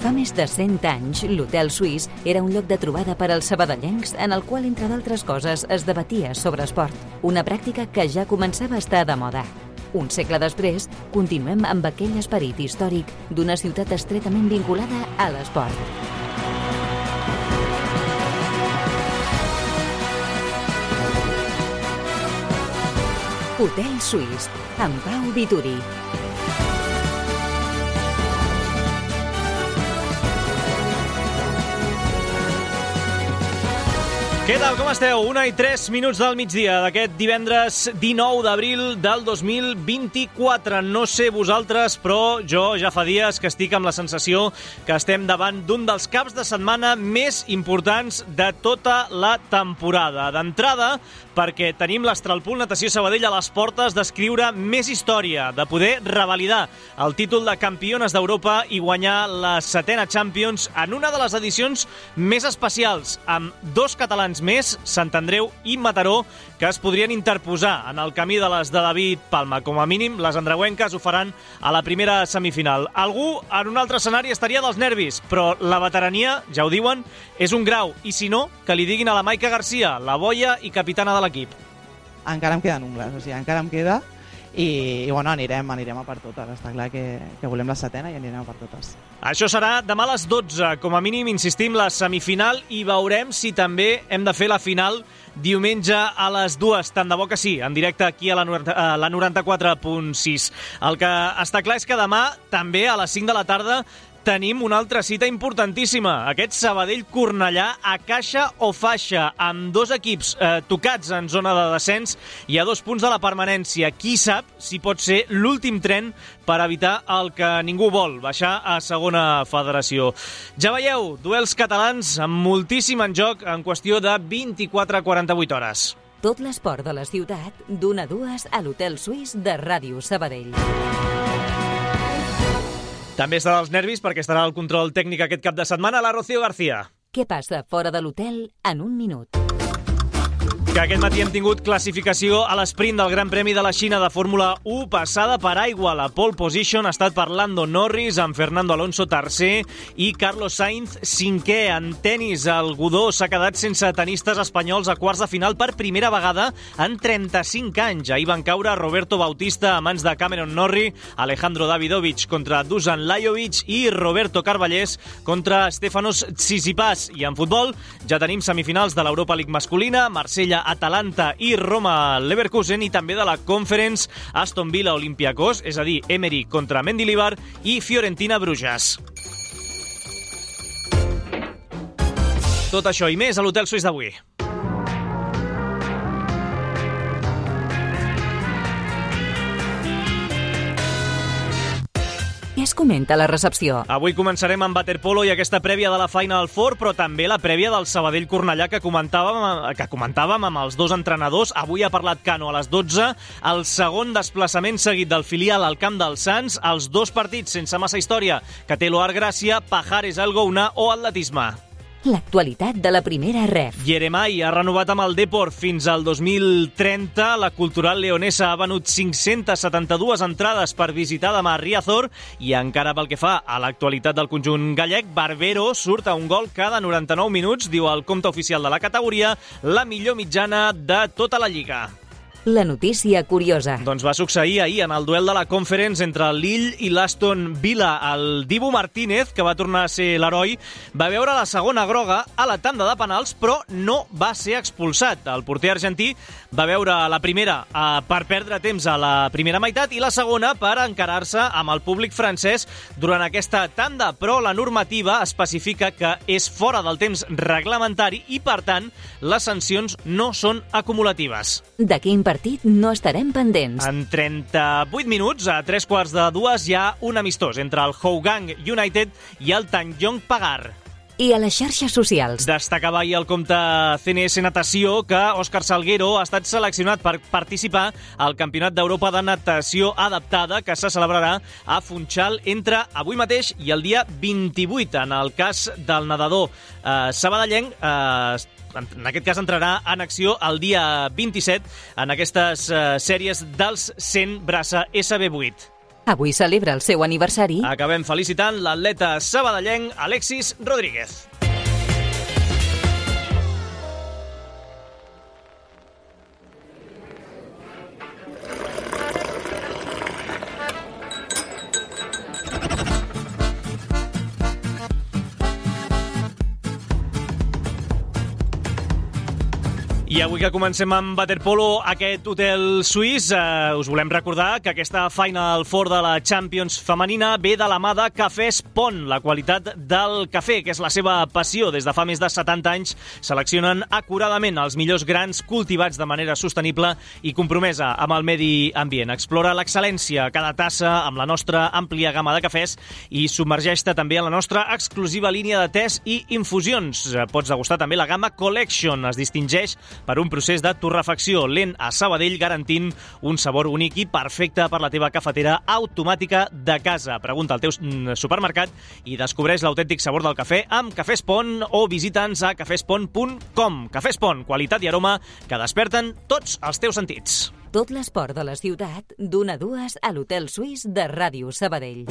Fa més de 100 anys, l'Hotel Suís era un lloc de trobada per als sabadellencs en el qual, entre d'altres coses, es debatia sobre esport, una pràctica que ja començava a estar de moda. Un segle després, continuem amb aquell esperit històric d'una ciutat estretament vinculada a l'esport. Hotel Suís, amb Pau Vituri. Què tal, com esteu? 1:03 del migdia d'aquest divendres 19 d'abril del 2024. No sé vosaltres, però jo ja fa dies que estic amb la sensació que estem davant d'un dels caps de setmana més importants de tota la temporada. D'entrada, perquè tenim l'Astralpool Natació Sabadell a les portes d'escriure més història, de poder revalidar el títol de campiones d'Europa i guanyar la 7a Champions en una de les edicions més especials, amb dos catalans més, Sant Andreu i Mataró, que es podrien interposar en el camí de les de David Palma. Com a mínim, les andreuenques ho faran a la primera semifinal. Algú en un altre escenari estaria dels nervis, però la veterania, ja ho diuen, és un grau. I si no, que li diguin a la Maica Garcia, la boia i capitana de l'equip. Encara em queden ungles, encara em queda i bueno, anirem a per totes. Està clar que volem la 7a i anirem a per totes. Això serà demà a les 12, com a mínim, insistim, la semifinal, i veurem si també hem de fer la final diumenge a les 2, tant de bo que sí, en directe aquí a la 94.6. El que està clar és que demà, també a les 5 de la tarda, tenim una altra cita importantíssima. Aquest Sabadell-Cornellà a caixa o faixa, amb dos equips tocats en zona de descens i a 2 punts de la permanència. Qui sap si pot ser l'últim tren per evitar el que ningú vol, baixar a segona federació. Ja veieu, duels catalans amb moltíssim en joc en qüestió de 24 a 48 hores. Tot l'esport de la ciutat, d'1 a 2 a l'Hotel Suís de Ràdio Sabadell. També estarà als nervis perquè estarà al control tècnic aquest cap de setmana la Rocío García. Què passa fora de l'hotel en un minut? Que aquest matí hem tingut classificació a l'esprint del Gran Premi de la Xina de Fórmula 1, passada per aigua. La pole position ha estat per Lando Norris, amb Fernando Alonso tercer i Carlos Sainz cinquè. En tenis, el Godó s'ha quedat sense tenistes espanyols a quarts de final per primera vegada en 35 anys. Ahir van caure Roberto Bautista a mans de Cameron Norrie, Alejandro Davidovich contra Dusan Lajovic i Roberto Carballés contra Stefanos Tsitsipas. I en futbol ja tenim semifinals de l'Europa League masculina, Marsella-Atalanta i Roma-Leverkusen, i també de la Conference, Aston Villa-Olympiacos, és a dir, Emery contra Mendilibar i Fiorentina-Bruges. Tot això i més a l'Hotel Suís d'avui. Què es comenta a la recepció? Avui començarem amb waterpolo i aquesta prèvia de la Final Four, però també la prèvia del Sabadell-Cornellà que comentàvem amb els dos entrenadors. Avui ha parlat Cano a les 12, el segon desplaçament seguit del filial al camp dels Sants, els dos partits sense massa història que té l'Oar Gràcia, Pajares Algouna o atletisme. L'actualitat de la primera ref. Yeremay ha renovat amb el Depor fins al 2030. La Cultural Leonesa ha venut 572 entrades per visitar demà a Riazor, i encara pel que fa a l'actualitat del conjunt gallec, Barbero surt a un gol cada 99 minuts, diu el compte oficial de la categoria, la millor mitjana de tota la Lliga. La notícia curiosa. Doncs va succeir ahir en el duel de la Conference entre el Lille i l'Aston Villa. El Dibu Martínez, que va tornar a ser l'heroi, va veure la segona groga a la tanda de penals, però no va ser expulsat. El porter argentí va veure la primera per perdre temps a la primera meitat i la segona per encarar-se amb el públic francès durant aquesta tanda, però la normativa especifica que és fora del temps reglamentari i, per tant, les sancions no són acumulatives. De quin partit no estarem pendents? En 38 minuts, a 3:15, hi ha un amistós entre el Hougang United i el Tanjong Pagar. I a les xarxes socials. Destacava ahir el compte CNS Natació que Òscar Salguero ha estat seleccionat per participar al Campionat d'Europa de Natació Adaptada, que se celebrarà a Funchal entre avui mateix i el dia 28. En el cas del nedador sabadellenc, en aquest cas entrarà en acció el dia 27 en aquestes sèries dels 100 braça SB8. Avui celebra el seu aniversari. Acabem felicitant l'atleta sabadellenc Alexis Rodríguez. I avui que comencem amb waterpolo, aquest hotel suís, us volem recordar que aquesta Final Four de la Champions femenina ve de la mà de Cafès Pont. La qualitat del cafè, que és la seva passió des de fa més de 70 anys, seleccionen acuradament els millors grans cultivats de manera sostenible i compromesa amb el medi ambient. Explora l'excel·lència a cada tassa amb la nostra àmplia gamma de cafès i submergeix-te també en la nostra exclusiva línia de tés i infusions. Pots degustar també la gamma Collection. Es distingeix per un procés de torrefacció lent a Sabadell, garantint un sabor únic i perfecte per la teva cafetera automàtica de casa. Pregunta al teu supermercat i descobreix l'autèntic sabor del cafè amb Cafès Pont o visita'ns a cafespont.com. Cafès Pont, qualitat i aroma que desperten tots els teus sentits. Tot l'esport de la ciutat, d'1 a 2 a l'Hotel Suís de Ràdio Sabadell.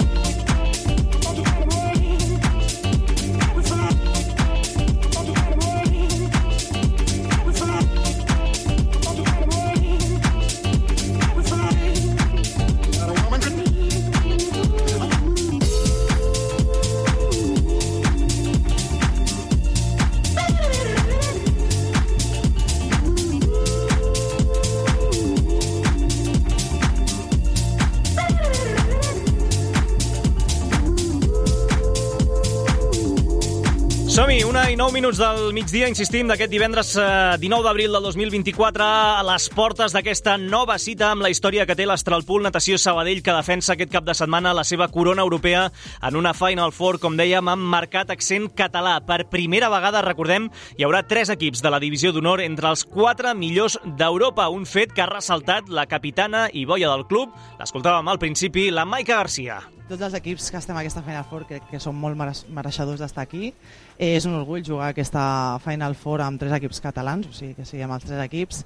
Som-hi, 1:09 del migdia, insistim, d'aquest divendres 19 d'abril del 2024, a les portes d'aquesta nova cita amb la història que té l'Astralpool Natació Sabadell, que defensa aquest cap de setmana la seva corona europea en una Final Four, com dèiem, amb marcat accent català. Per primera vegada, recordem, hi haurà 3 equips de la divisió d'honor entre els 4 millors d'Europa, un fet que ha ressaltat la capitana i boia del club, l'escoltàvem al principi, la Maica Garcia. Tots els equips que estem a aquesta Final Four crec que són molt mereixedors d'estar aquí. És un orgull jugar aquesta Final Four amb 3 equips catalans, o sigui que siguem els 3 equips.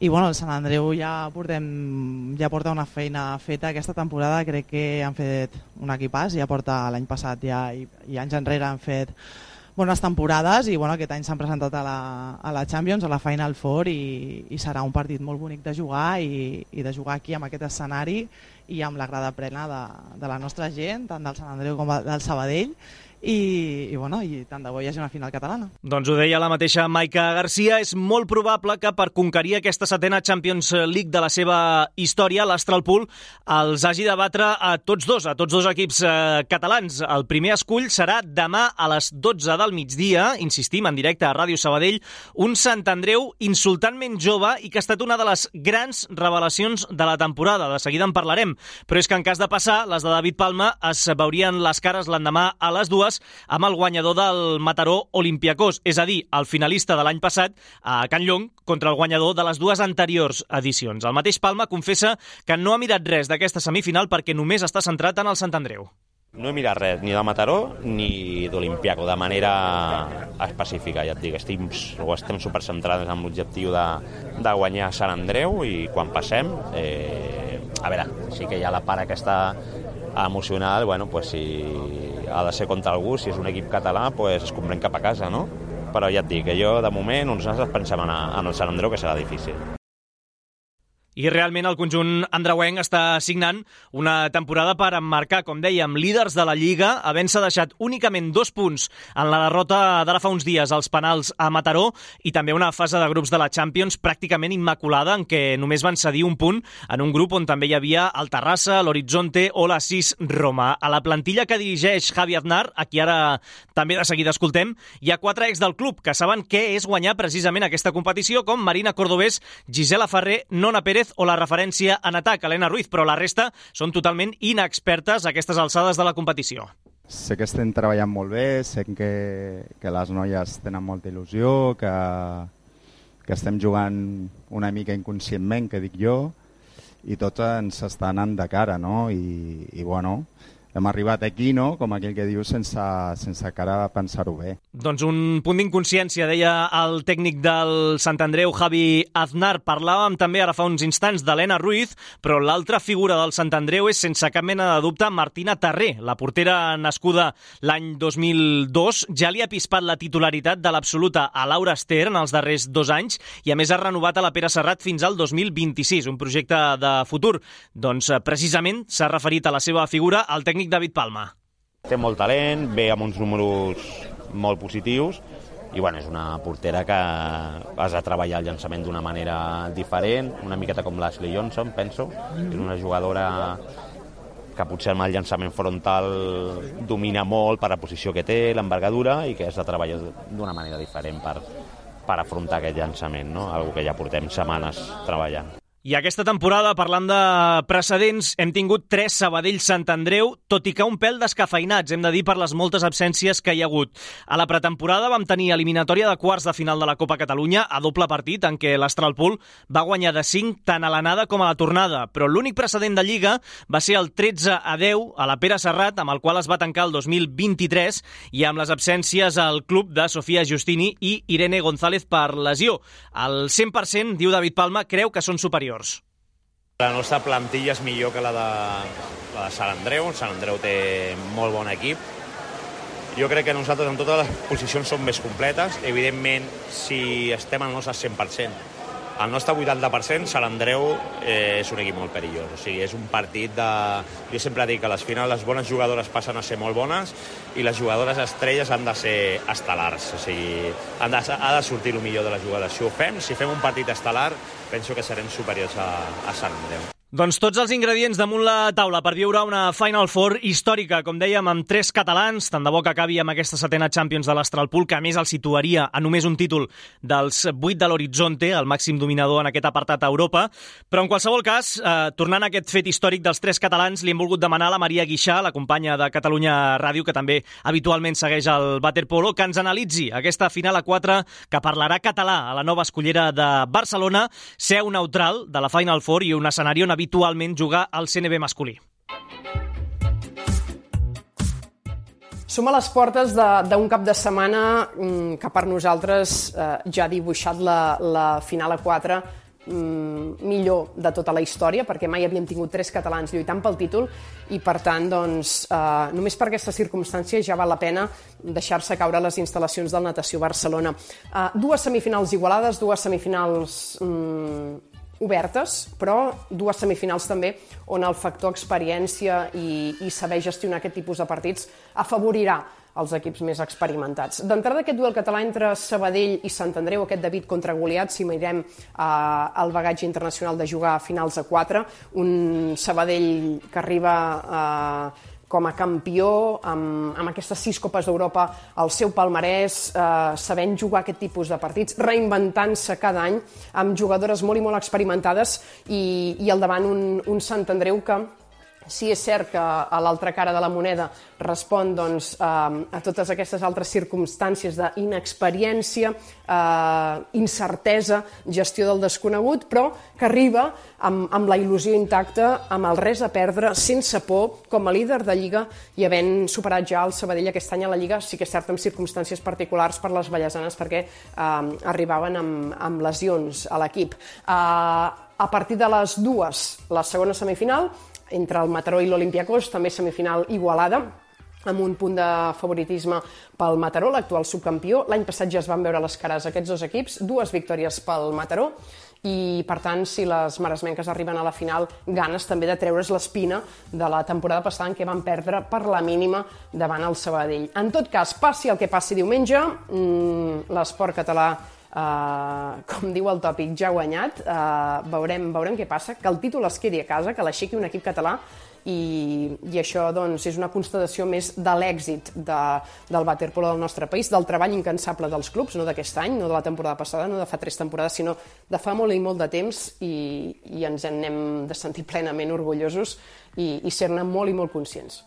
I bueno, el Sant Andreu ja porta una feina feta aquesta temporada, crec que han fet un equipàs, ja porta l'any passat i anys enrere han fet bones temporades i bueno, aquest any s'han presentat a la Champions, a la Final Four i serà un partit molt bonic de jugar i de jugar aquí amb aquest escenari i amb la grada plena de la nostra gent, tant del Sant Andreu com del Sabadell i tant de bo hi hagi una final catalana. Doncs ho deia la mateixa Maica Garcia, és molt probable que per conquerir aquesta 7a Champions League de la seva història, l'Astralpool els hagi de batre a tots dos equips catalans. El primer escull serà demà a les 12 del migdia, insistim, en directe a Ràdio Sabadell, un Sant Andreu insultantment jove i que ha estat una de les grans revelacions de la temporada. De seguida en parlarem, però és que en cas de passar, les de David Palma es veurien les cares l'endemà a les 2 amb el guanyador del Mataró Olympiacos, és a dir, el finalista de l'any passat a Can Llong contra el guanyador de les 2 anteriors edicions. El mateix Palma confessa que no ha mirat res d'aquesta semifinal perquè només està centrat en el Sant Andreu. No he mirat res, ni de Mataró ni d'Olympiaco, de manera específica, ja et dic, estem supercentrats en l'objectiu de guanyar Sant Andreu i quan passem, a veure, sí que hi ha la part aquesta emocional, bueno, pues si ha de ser contra algú, si és un equip català, pues es comprèn cap a casa, no? Però ja et dic que jo, de moment, nosaltres pensem en el Sant Andreu, que serà difícil. I realment el conjunt andreuenc està signant una temporada per emmarcar, com dèiem, líders de la Lliga, havent-se deixat únicament 2 punts en la derrota d'ara fa uns dies als penals a Mataró i també una fase de grups de la Champions pràcticament immaculada en què només van cedir un punt en un grup on també hi havia el Terrassa, l'Horizonte o la SIS Roma. A la plantilla que dirigeix Javi Aznar, a qui ara també de seguida escoltem, hi ha 4 ex del club que saben què és guanyar precisament aquesta competició, com Marina Cordobés, Gisela Ferrer, Nona Pérez o la referència en atac, Helena Ruiz, però la resta són totalment inexpertes a aquestes alçades de la competició. Sé que estem treballant molt bé, sé que les noies tenen molta il·lusió, que estem jugant una mica inconscientment, que dic jo, i tot ens està anant de cara, no? I bueno, hem arribat aquí, no?, com aquell que diu, sense cara pensar-ho bé. Doncs un punt d'inconsciència, deia el tècnic del Sant Andreu, Javi Aznar. Parlàvem també ara fa uns instants d'Helena Ruiz, però l'altra figura del Sant Andreu és, sense cap mena de dubte, Martina Tarré. La portera nascuda l'any 2002 ja li ha pispat la titularitat de l'absoluta a Laura Ester en els darrers 2 anys i a més ha renovat a la Pere Serrat fins al 2026, un projecte de futur. Doncs precisament s'ha referit a la seva figura el tècnic David Palma. Té molt talent, ve amb uns números molt positius i bueno, és una portera que has de treballar el llançament d'una manera diferent, una miqueta com l'Ashley Johnson, penso. És una jugadora que potser amb el llançament frontal domina molt per la posició que té, l'envergadura, i que has de treballar d'una manera diferent per afrontar aquest llançament, no? Algo que ja portem setmanes treballant. I aquesta temporada, parlant de precedents, hem tingut 3 Sabadell-Sant Andreu, tot i que un pèl descafeinats, hem de dir, per les moltes absències que hi ha hagut. A la pretemporada vam tenir eliminatòria de quarts de final de la Copa Catalunya a doble partit, en què l'Astralpool va guanyar de 5 tant a l'anada com a la tornada, però l'únic precedent de Lliga va ser el 13-10 a la Pere Serrat, amb el qual es va tancar el 2023, i amb les absències al club de Sofia Giustini i Irene González per lesió. El 100%, diu David Palma, creu que són superiors. La nostra plantilla és millor que la de Sant Andreu. Sant Andreu té molt bon equip. Jo crec que nosaltres en totes les posicions som més completes. Evidentment, si estem al nostre 100%, al nostre 80%, Sant Andreu és un equip molt perillós. O sigui, és un partit de... Jo sempre dic que a les finals les bones jugadores passen a ser molt bones i les jugadores estrelles han de ser estel·lars. O sigui, ha de sortir el millor de les jugadores. Si ho fem, si fem un partit estel·lar, penso que serem superiors a Sant Andreu. Doncs tots els ingredients damunt la taula per viure una Final Four històrica, com dèiem, amb 3 catalans, tant de bo que acabi amb aquesta 7a Champions de l'Astralpool, que a més el situaria a només un títol dels 8 de l'Horizonte, el màxim dominador en aquest apartat a Europa. Però en qualsevol cas, tornant a aquest fet històric dels 3 catalans, li hem volgut demanar a la Maria Guixà, la companya de Catalunya Ràdio, que també habitualment segueix el waterpolo, que ens analitzi aquesta final a 4 que parlarà català a la nova escollera de Barcelona, seu neutral de la Final Four i un escenari on habitualment jugar al CNB masculí. Som a les portes d'un cap de setmana que per nosaltres ja ha dibuixat la final a 4 millor de tota la història, perquè mai havíem tingut 3 catalans lluitant pel títol i, per tant, doncs, només per aquesta circumstància ja val la pena deixar-se caure les instal·lacions del Natació Barcelona. 2 semifinals igualades, 2 semifinals obertes, però 2 semifinals també on el factor experiència i saber gestionar aquest tipus de partits afavorirà els equips més experimentats. D'entrada, aquest duel català entre Sabadell i Sant Andreu, aquest David contra Goliat, si mirem el bagatge internacional de jugar a finals a 4, un Sabadell que arriba com a campió, amb aquestes 6 Copes d'Europa al seu palmarès, sabent jugar aquest tipus de partits, reinventant-se cada any, amb jugadores molt i molt experimentades, i al davant un Sant Andreu que, sí, és cert que a l'altra cara de la moneda respon doncs, a totes aquestes altres circumstàncies d'inexperiència, incertesa, gestió del desconegut, però que arriba amb la il·lusió intacta, amb el res a perdre, sense por, com a líder de Lliga i havent superat ja el Sabadell aquest any a la Lliga, sí que és cert amb circumstàncies particulars per les ballesanes perquè arribaven amb lesions a l'equip. A partir de les 2, la segona semifinal, entre el Mataró i l'Olympiacos, també semifinal igualada, amb un punt de favoritisme pel Mataró, l'actual subcampió. L'any passat ja es van veure les cares aquests 2 equips, 2 victòries pel Mataró, i per tant, si les maresmenques arriben a la final, ganes també de treure's l'espina de la temporada passada en què van perdre per la mínima davant el Sabadell. En tot cas, passi el que passi diumenge, l'esport català, com diu el tòpic, ja ha guanyat. Veurem què passa, que el títol es quedi a casa, que l'aixequi un equip català, i això doncs, és una constatació més de l'èxit del waterpolo del nostre país, del treball incansable dels clubs, no d'aquest any, no de la temporada passada, no de fa 3 temporades, sinó de fa molt i molt de temps, i ens en hem de sentir plenament orgullosos i ser-ne molt i molt conscients.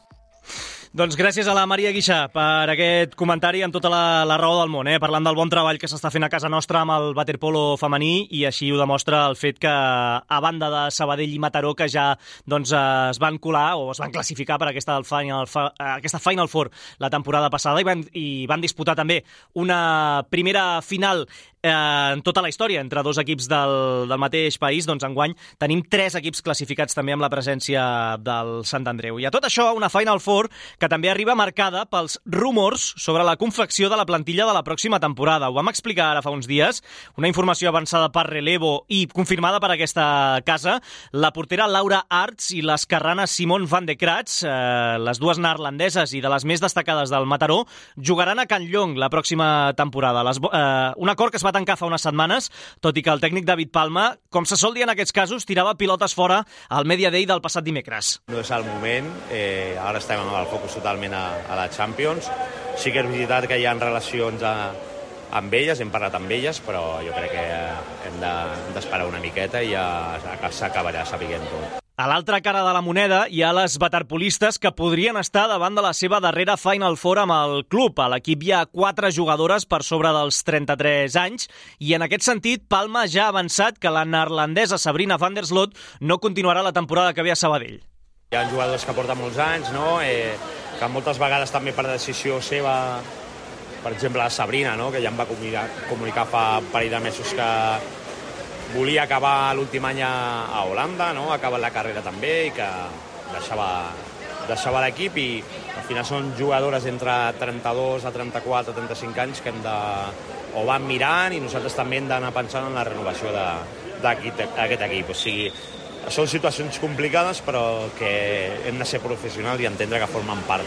Doncs gràcies a la Maria Guixà per aquest comentari amb tota la raó del món, parlant del bon treball que s'està fent a casa nostra amb el waterpolo femení, i així ho demostra el fet que, a banda de Sabadell i Mataró, que ja es van colar o es van classificar per aquesta Final Four la temporada passada i van disputar també una primera final en tota la història entre dos equips del mateix país, doncs enguany tenim 3 equips classificats també amb la presència del Sant Andreu. I a tot això, una Final Four que també arriba marcada pels rumors sobre la confecció de la plantilla de la pròxima temporada. Ho vam explicar ara fa uns dies, una informació avançada per Relevo i confirmada per aquesta casa. La portera Laura Arts i l'esquerrana Simone van de Kratz, les dues neerlandeses i de les més destacades del Mataró, jugaran a Can Llong la pròxima temporada. Un acord que es va tancar fa unes setmanes, tot i que el tècnic David Palma, com se sol dir en aquests casos, tirava pilotes fora al Media Day del passat dimecres. No és el moment, ara estem amb el focus totalment a la Champions. Sí que és veritat que hi ha relacions amb elles, hem parlat amb elles, però jo crec que hem d'esperar una miqueta i ja s'acabarà sabent tot. A l'altra cara de la moneda hi ha les waterpolistes que podrien estar davant de la seva darrera Final Four amb el club. A l'equip hi ha 4 jugadores per sobre dels 33 anys i en aquest sentit Palma ja ha avançat que la neerlandesa Sabrina van der Sloot no continuarà la temporada que ve a Sabadell. Hi ha jugadors que porten molts anys, no? Que moltes vegades també per decisió seva, per exemple la Sabrina, no? Que ja em va comunicar fa un parell de mesos que volia acabar l'últim any a Holanda, no? Ha acabat la carrera també i que deixava l'equip, i al final són jugadores entre 32 a 34 a 35 anys que o van mirant, i nosaltres també hem d'anar pensant en la renovació d'aquest equip. O sigui, són situacions complicades però que hem de ser professionals i entendre que formen part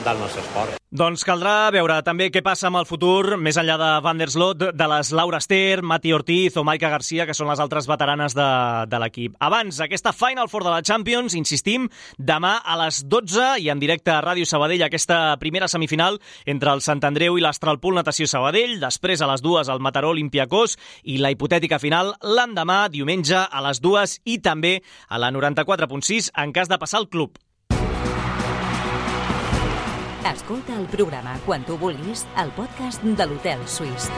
del nostre esport. Doncs caldrà veure també què passa amb el futur, més enllà de Van der Sloot, de les Laura Ester, Mati Ortiz o Maika Garcia, que són les altres veteranes de l'equip. Abans, aquesta Final Four de la Champions, insistim, demà a les 12 i en directe a Ràdio Sabadell, aquesta primera semifinal entre el Sant Andreu i l'Astralpool Natació Sabadell, després a les 2 el Mataró Olympiacos i la hipotètica final l'endemà, diumenge, a les 2 i també a la 94.6 en cas de passar el club. Escolta el programa quan tu vulguis al podcast de l'Hotel Suís.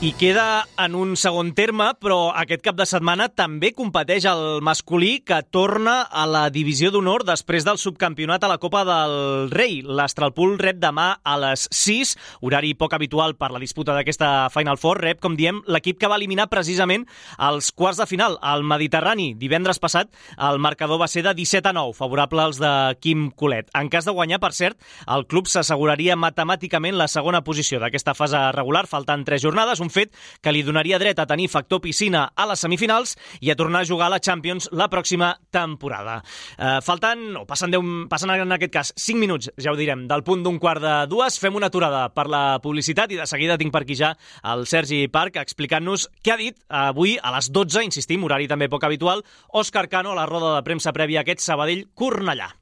I queda en un segon terme, però aquest cap de setmana també competeix el masculí, que torna a la divisió d'honor després del subcampionat a la Copa del Rei. L'Astralpool rep demà a les 6, horari poc habitual per la disputa d'aquesta Final Four. Rep, com diem, l'equip que va eliminar precisament als quarts de final, al Mediterrani. Divendres passat el marcador va ser de 17-9, favorable als de Quim Colet. En cas de guanyar, per cert, el club s'asseguraria matemàticament la segona posició d'aquesta fase regular, faltant 3 jornades, un fet que li donaria dret a tenir factor piscina a les semifinals i a tornar a jugar a la Champions la pròxima temporada. Passen en aquest cas 5 minuts, ja ho direm, del punt d'un quart de 2, fem una aturada per la publicitat i de seguida tinc per aquí ja el Sergi Parc explicant-nos què ha dit avui a les 12, insistim, horari també poc habitual, Òscar Cano a la roda de premsa prèvia a aquest Sabadell-Cornellà.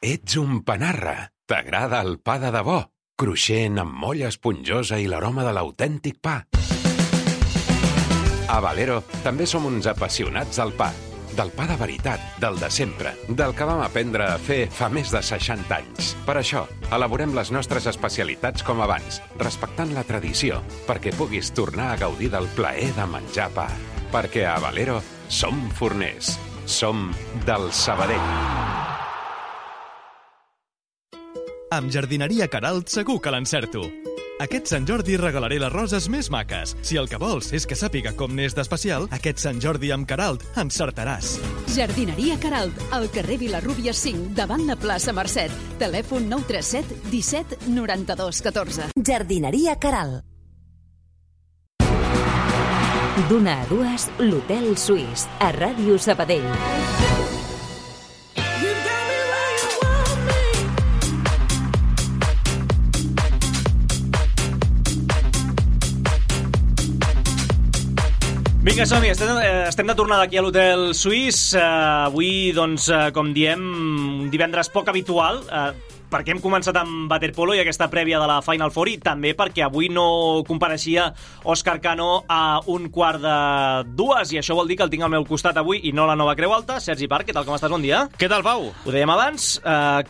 Ets un panarra. T'agrada el pa de debò, cruixent amb molla esponjosa i l'aroma de l'autèntic pa. A Valero també som uns apassionats del pa. Del pa de veritat, del de sempre, del que vam aprendre a fer fa més de 60 anys. Per això, elaborem les nostres especialitats com abans, respectant la tradició, perquè puguis tornar a gaudir del plaer de menjar pa. Perquè a Valero som forners. Som del Sabadell. Amb Jardineria Queralt segur que l'encerto. Aquest Sant Jordi regalaré les roses més maques. Si el que vols és que sàpiga com n'és d'especial, aquest Sant Jordi amb Queralt encertaràs. Jardineria Queralt, al carrer Vilarrúbia 5, davant la plaça Mercet. Telèfon 937 17 92 14. Jardineria Queralt. D'una a 2, l'Hotel Suís, a Ràdio Sabadell. Vinga, som-hi, estem de tornada aquí a l'Hotel Suís. Avui, doncs, com diem, un divendres poc habitual. perquè hem començat amb waterpolo i aquesta prèvia de la Final Four, i també perquè avui no compareixia Òscar Cano a 1:45, i això vol dir que el tinc al meu costat avui i no la Nova Creu Alta. Sergi Parc, què tal, com estàs? Bon dia. Què tal, Pau? Ho dèiem abans,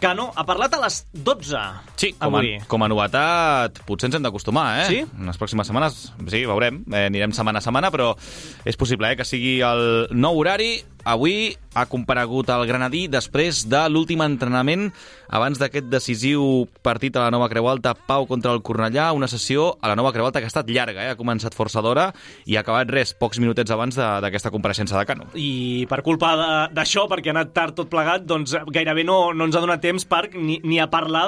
Cano ha parlat a les 12. Sí, avui. com a novetat, potser ens hem d'acostumar, Sí? En les pròximes setmanes, sí, veurem. Anirem setmana a setmana, però és possible que sigui el nou horari. Avui ha comparegut el granadí després de l'últim entrenament abans d'aquest decisiu partit a la Nova Creu Alta, Pau contra el Cornellà, una sessió a la Nova Creu Alta que ha estat llarga, ha començat força d'hora i ha acabat pocs minutets abans d'aquesta compareixença de Cano. I per culpa d'això, perquè ha anat tard tot plegat, doncs gairebé no ens ha donat temps, Parc, ni a parlar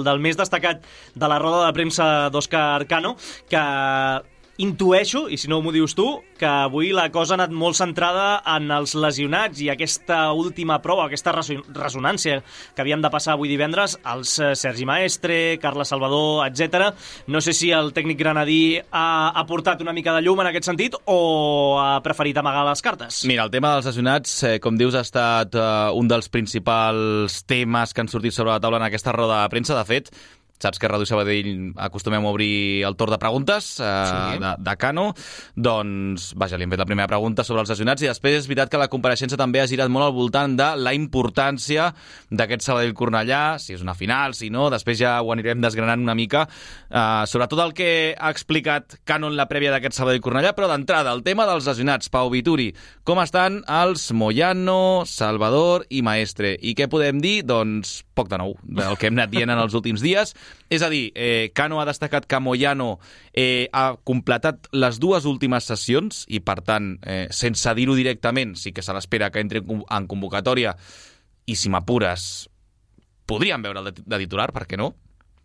del més destacat de la roda de premsa d'Òscar Cano, que intueixo, i si no m'ho dius tu, que avui la cosa ha anat molt centrada en els lesionats i aquesta última prova, aquesta ressonància que havien de passar avui divendres, els Sergi Maestre, Carles Salvador, etc. No sé si el tècnic granadí ha portat una mica de llum en aquest sentit o ha preferit amagar les cartes. Mira, el tema dels lesionats, com dius, ha estat un dels principals temes que han sortit sobre la taula en aquesta roda de premsa. De fet, saps que a Ràdio Sabadell acostumem a obrir el torn de preguntes de Cano. Doncs, vaja, li hem fet la primera pregunta sobre els lesionats i després és veritat que la compareixença també ha girat molt al voltant de la importància d'aquest Sabadell-Cornellà, si és una final, si no, després ja ho anirem desgranant una mica, sobretot el que ha explicat Cano en la prèvia d'aquest Sabadell-Cornellà, però d'entrada, el tema dels lesionats. Pau Vituri, com estan els Moyano, Salvador i Maestre? I què podem dir? Doncs poc de nou, del que hem anat dient en els últims dies. És a dir, Cano ha destacat que Moyano ha completat les dues últimes sessions i, per tant, sense dir-ho directament, sí que se l'espera que entri en convocatòria i, si m'apures, podríem veure de titular, per què no?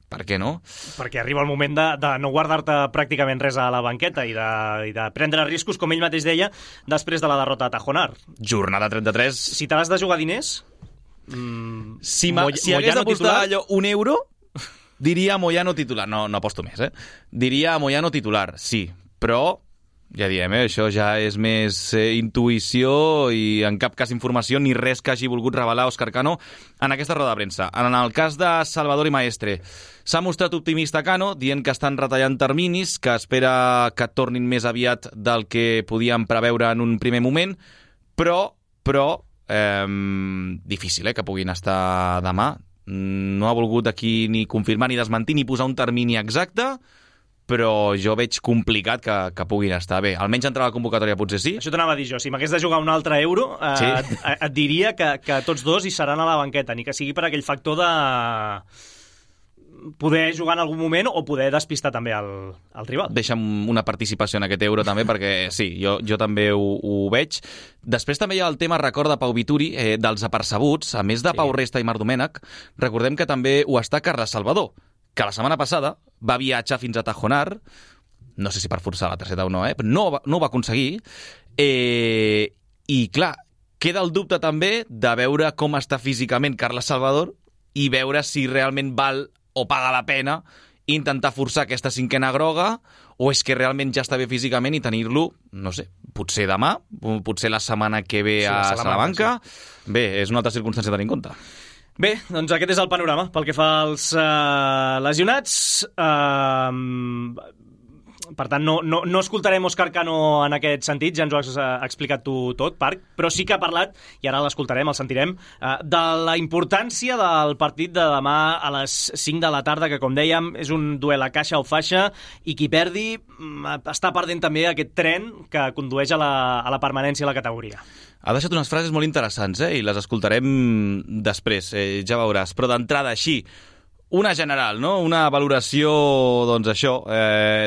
Per què no? Perquè arriba el moment de no guardar-te pràcticament res a la banqueta i de prendre riscos, com ell mateix deia, després de la derrota a Tajonar. Jornada 33. Si te l'has de jugar diners... Si hagués d'apostar allò €1, diria Moyano titular. No aposto més, Diria Moyano titular, sí. Però, ja diem, això ja és més intuïció i en cap cas informació ni res que hagi volgut revelar Òscar Cano en aquesta roda de premsa. En el cas de Salvador i Maestre, s'ha mostrat optimista Cano, dient que estan retallant terminis, que espera que tornin més aviat del que podíem preveure en un primer moment, però difícil que puguin estar demà. No ha volgut aquí ni confirmar ni desmentir ni posar un termini exacte, però jo veig complicat que puguin estar bé. Almenys entrar a la convocatòria potser sí. Això t'anava a dir jo. Si m'hagués de jugar un altre euro, et diria que tots dos hi seran a la banqueta, ni que sigui per aquell factor de poder jugar en algun moment o poder despistar també el rival. Deixa'm una participació en aquest euro també, perquè sí, jo també ho veig. Després també hi ha el tema, recorda Pau Vituri, dels apercebuts. A més de Pau Resta i Marc Domènech, recordem que també ho està Carles Salvador, que la setmana passada va viatjar fins a Tajonar, no sé si per forçar la targeta o no, però no ho va aconseguir, i clar, queda el dubte també de veure com està físicament Carles Salvador i veure si realment val o paga la pena intentar forçar aquesta cinquena groga o és que realment ja està bé físicament i tenir-lo, no sé, potser demà, potser la setmana que ve a Salamanca. Sí. Bé, és una altra circumstància a tenir en compte. Bé, doncs aquest és el panorama pel que fa als lesionats. Per tant, no escoltarem Òscar Cano en aquest sentit, ja ens ho has explicat tu tot, Parc, però sí que ha parlat, i ara l'escoltarem, el sentirem, de la importància del partit de demà a les 5 de la tarda, que com dèiem és un duel a caixa o faixa, i qui perdi està perdent també aquest tren que condueix a la permanència a la categoria. Ha deixat unes frases molt interessants, i les escoltarem després, ja veuràs, però d'entrada així, una general, no? Una valoració, doncs això,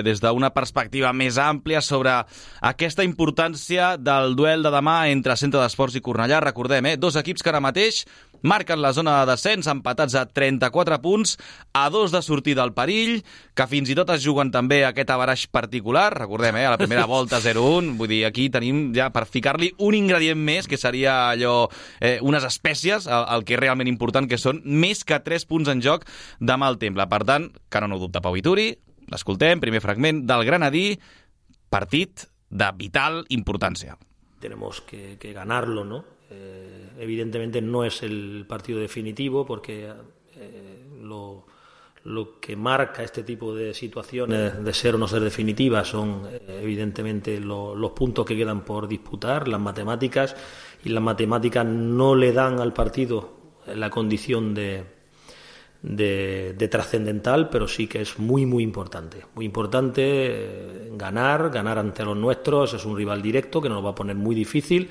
des d'una perspectiva més àmplia sobre aquesta importància del duel de demà entre Centre d'Esports i Cornellà. Recordem, dos equips que ara mateix marquen la zona de descens, empatats a 34 punts, a 2 de sortir del perill, que fins i tot es juguen també aquest averaix particular. Recordem, a la primera volta 0-1, vull dir, aquí tenim ja per ficar-li un ingredient més, que seria allò, unes espècies, el que és realment important, que són més que 3 punts en joc demà al Temple. Per tant, que no dubta Pau Vituri, l'escoltem, primer fragment del Granadí, partit de vital importància. Tenemos que ganarlo, ¿no? Evidentemente no es el partido definitivo porque Lo que marca este tipo de situaciones de ser o no ser definitivas son evidentemente los puntos que quedan por disputar, las matemáticas, y las matemáticas no le dan al partido la condición de trascendental, pero sí que es muy importante ganar ante los nuestros. Es un rival directo que nos va a poner muy difícil,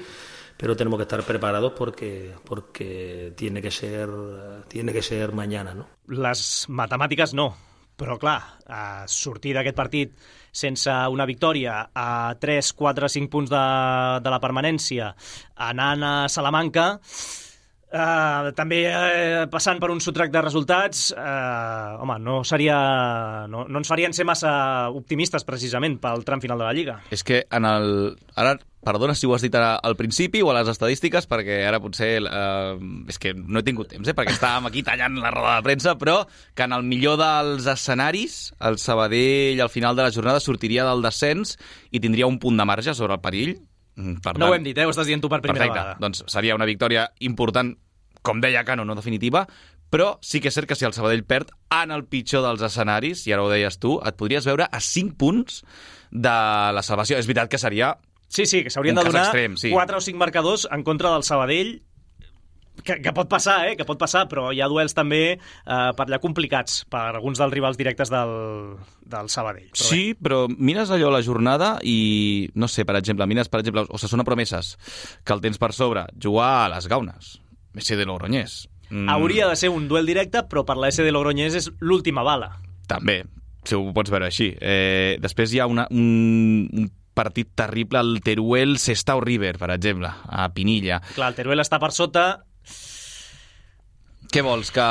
pero tenemos que estar preparados porque tiene que ser mañana, no? Les matemàtiques no, però clar, sortir d'aquest partit sense una victòria a 3, 4, 5 punts de la permanència, anant a Salamanca, també passant per un sotrac de resultats, home, no ens farien ser massa optimistes precisament pel tram final de la Lliga. És que ara, perdona si ho has dit al principi o a les estadístiques, perquè ara potser és que no he tingut temps, perquè estàvem aquí tallant la roda de premsa, però que en el millor dels escenaris el Sabadell al final de la jornada sortiria del descens i tindria un punt de marge sobre el perill. Per tant, no ho hem dit, ho estàs dient tu per primera vegada. Doncs seria una victòria important, com deia Cano, no definitiva, però sí que és cert que si el Sabadell perd en el pitjor dels escenaris, i ara ho deies tu, et podries veure a 5 punts de la salvació. És veritat que seria Sí, que s'haurien de donar extrem, 4 o 5 marcadors en contra del Sabadell, que pot passar, que pot passar, però hi ha duels també per allà complicats per alguns dels rivals directes del Sabadell. Però sí, però mires allò a la jornada i, no sé, per exemple, Osasuna Promeses, que el tens per sobre, jugar a les Gaunes, SD Logroñés. Hauria de ser un duel directe, però per la SD Logroñés és l'última bala. També, si ho pots veure així. Després hi ha un partit terrible, el Teruel Sestao River, per exemple, a Pinilla. Clar, el Teruel està per sota. Què vols, que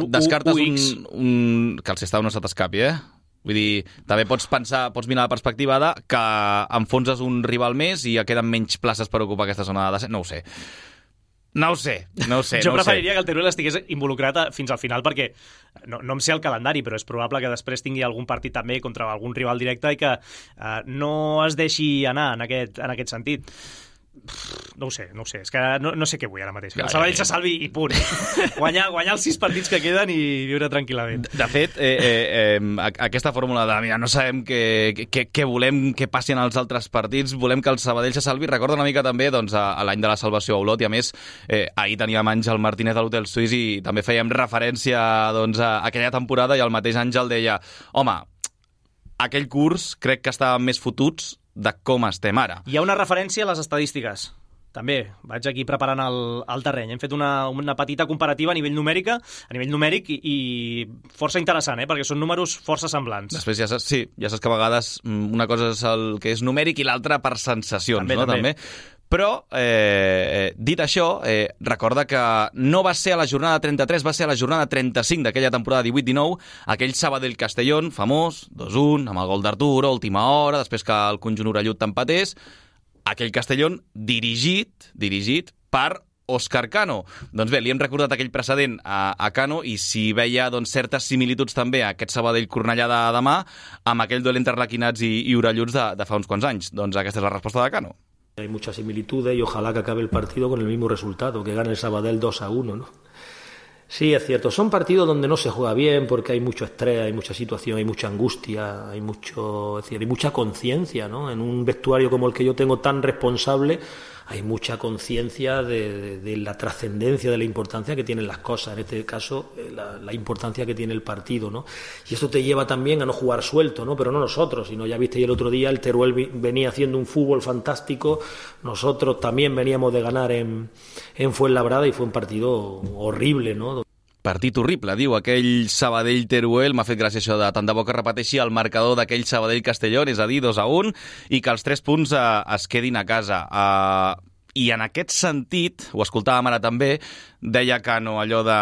descartes que el Sestao no se t'escapi, Vull dir, també pots mirar la perspectiva que enfonses un rival més i queden menys places per ocupar aquesta zona de descens. No ho sé. Jo preferiria que el Teruel estigués involucrat fins al final, perquè no em sé el calendari, però és probable que després tingui algun partit també contra algun rival directe i que no es deixi anar en aquest sentit. No ho sé, és que no sé què vull ara mateix. El Sabadell se salvi i punt. Guanyar els 6 partits que queden i viure tranquil·lament. De fet, aquesta fórmula de mira, no sabem què volem que passi en els altres partits, volem que el Sabadell se salvi, recorda una mica també a l'any de la salvació a Olot, i a més ahir teníem Àngel Martínez a l'Hotel Suís i també fèiem referència a aquella temporada, i el mateix Àngel deia, home, aquell curs crec que estàvem més fotuts de com estem ara. Hi ha una referència a les estadístiques. També vaig aquí preparant el terreny. Hem fet una petita comparativa a nivell numèric i força interessant, perquè són números força semblants. Després ja saps que a vegades una cosa és el que és numèric i l'altra per sensacions, també. Però, dit això, recorda que no va ser a la jornada 33, va ser a la jornada 35 d'aquella temporada 18-19, aquell Sabadell-Castellón, famós, 2-1, amb el gol d'Arturo, última hora, després que el conjunt orellut t'empatés, aquell Castellón dirigit per Òscar Cano. Doncs bé, li hem recordat aquell precedent a Cano, i si veia certes similituds també a aquest Sabadell-Cornellà de demà amb aquell duel entre arlequinats i orelluts de fa uns quants anys. Doncs aquesta és la resposta de Cano. Hay muchas similitudes y ojalá que acabe el partido con el mismo resultado, que gane el Sabadell 2-1, ¿no? Sí, es cierto, son partidos donde no se juega bien porque hay mucho estrés, hay mucha situación, hay mucha angustia, hay mucha conciencia, ¿no? En un vestuario como el que yo tengo tan responsable, hay mucha conciencia de la trascendencia, de la importancia que tienen las cosas, en este caso la importancia que tiene el partido, ¿no? Y esto te lleva también a no jugar suelto, ¿no? Pero no nosotros, sino ya visteis el otro día, el Teruel venía haciendo un fútbol fantástico, nosotros también veníamos de ganar en Fuenlabrada y fue un partido horrible, ¿no? Partit horrible, diu, aquell Sabadell-Teruel. M'ha fet gràcia això de tant de bo que repeteixi el marcador d'aquell Sabadell-Castellón, és a dir, 2-1, i que els 3 punts es quedin a casa. I en aquest sentit, ho escoltàvem ara també, deia Cano allò de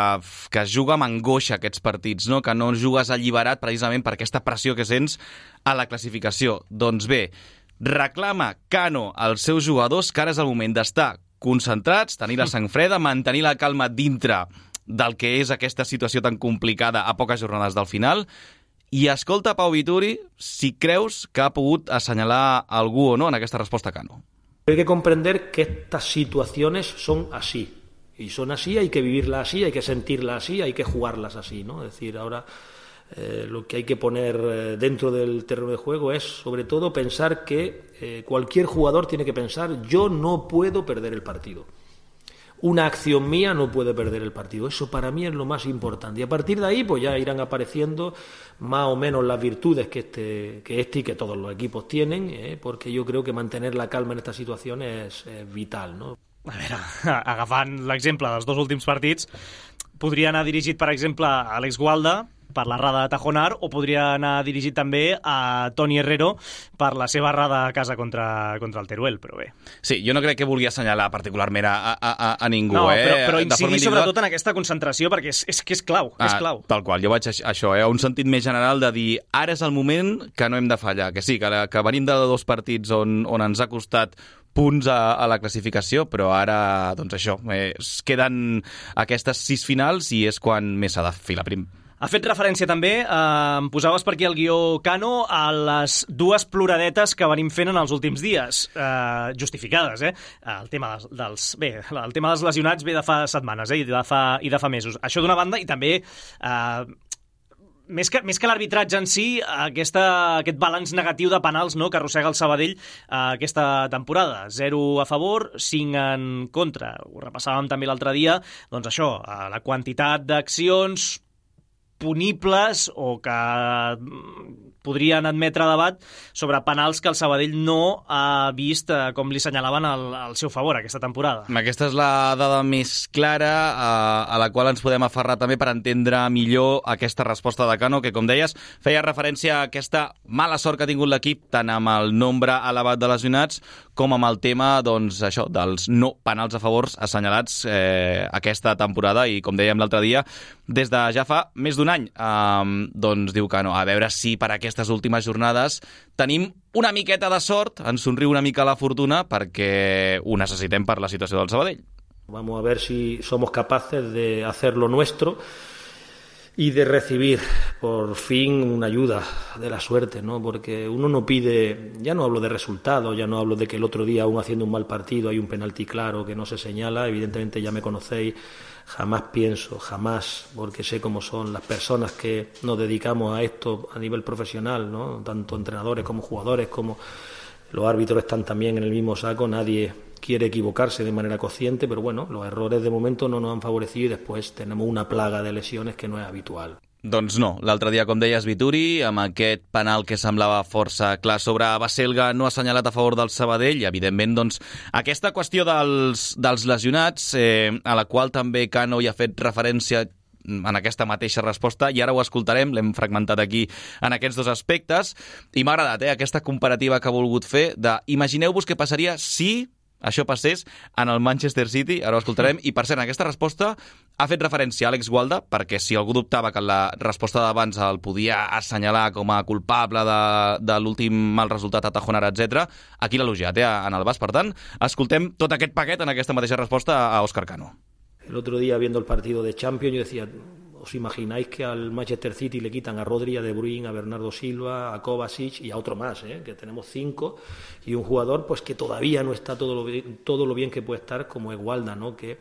que es juga amb angoixa aquests partits, no? Que no jugues alliberat precisament per aquesta pressió que sents a la classificació. Doncs bé, reclama Cano als seus jugadors que ara és el moment d'estar concentrats, tenir la sang freda, mantenir la calma dintre del que és aquesta situació tan complicada a poques jornades del final, i escolta Pau Vituri si creus que ha pogut assenyalar algú o no en aquesta resposta a Cano. Hay que comprender que estas situaciones son así. Y son así, hay que vivirlas así, hay que sentirlas así, hay que jugarlas así, ¿no? Es decir, ahora lo que hay que poner dentro del terreno de juego es, sobre todo, pensar que cualquier jugador tiene que pensar: yo no puedo perder el partido. Una acción mía no puede perder el partido. Eso para mí es lo más importante. Y a partir de ahí pues ya irán apareciendo más o menos las virtudes que este y que todos los equipos tienen, porque yo creo que mantener la calma en esta situación és vital, no? A veure, agafant l'exemple dels dos últims partits, podria anar dirigit, per exemple, a Alex Gualda per l'errada de Tajonar, o podria anar dirigit també a Toni Herrero per la seva errada a casa contra el Teruel, però bé. Sí, jo no crec que vulgui assenyalar particularment a ningú. No, però incidir sobretot en aquesta concentració, perquè és que és clau, és clau. Tal qual, jo vaig això, un sentit més general de dir ara és el moment que no hem de fallar, que sí, que venim de 2 partits on ens ha costat punts a la classificació, però ara, doncs això, es queden aquestes 6 finals i és quan més s'ha de filar prim. Ha fet referència també, em posaves per aquí el guió Cano, a les 2 ploradetes que venim fent en els últims dies, justificades, el tema dels lesionats ve de fa setmanes, i de fa mesos. Això d'una banda, i també més que l'arbitratge en si, aquest balanç negatiu de penals, no, que arrossega el Sabadell aquesta temporada. 0 a favor, 5 en contra. Ho repassàvem també l'altre dia. Doncs això, la quantitat d'accions punibles o que podrien admetre debat sobre penals que el Sabadell no ha vist, com li senyalaven, al seu favor aquesta temporada. Aquesta és la dada més clara a la qual ens podem aferrar també per entendre millor aquesta resposta de Cano, que, com deies, feia referència a aquesta mala sort que ha tingut l'equip, tant amb el nombre elevat de lesionats com amb el tema, doncs, això, dels no penals a favors assenyalats aquesta temporada. I, com dèiem l'altre dia, des de ja fa més d'un any, doncs diu Cano, a veure si per aquestes últimes jornades tenim una miqueta de sort, ens somriu una mica la fortuna, perquè ho necessitem per la situació del Sabadell. Vamos a ver si somos capaces de hacer lo nuestro y de recibir por fin una ayuda de la suerte, ¿no? Porque uno no pide, ya no hablo de resultados, ya no hablo de que el otro día, aún haciendo un mal partido, hay un penalti claro que no se señala. Evidentemente ya me conocéis, jamás pienso, jamás, porque sé cómo son las personas que nos dedicamos a esto a nivel profesional, ¿no? Tanto entrenadores como jugadores, como los árbitros están también en el mismo saco. Nadie quiere equivocarse de manera consciente, pero bueno, los errores de momento no nos han favorecido y después tenemos una plaga de lesiones que no es habitual. Doncs no, l'altre dia, com deies, Vituri, amb aquest penal que semblava força clar sobre Baselga, no ha assenyalat a favor del Sabadell, i evidentment, doncs, aquesta qüestió dels lesionats, a la qual també Cano hi ha fet referència en aquesta mateixa resposta, i ara ho escoltarem, l'hem fragmentat aquí en aquests 2 aspectes, i m'ha agradat aquesta comparativa que ha volgut fer de imagineu-vos què passaria si això passés en el Manchester City. Ara ho escoltarem. I, per cert, en aquesta resposta ha fet referència a Àlex Gualda, perquè si algú dubtava que la resposta d'abans el podia assenyalar com a culpable de l'últim mal resultat a Tajonar, etc., aquí l'ha elogiat en el Bas. Per tant, escoltem tot aquest paquet en aquesta mateixa resposta a Óscar Cano. El otro día, viendo el partido de Champions, yo decía, ¿os imagináis que al Manchester City le quitan a Rodri, a De Bruyne, a Bernardo Silva, a Kovacic y a otro más, que tenemos 5, y un jugador pues que todavía no está todo lo bien que puede estar, como es Gualda, ¿no? Que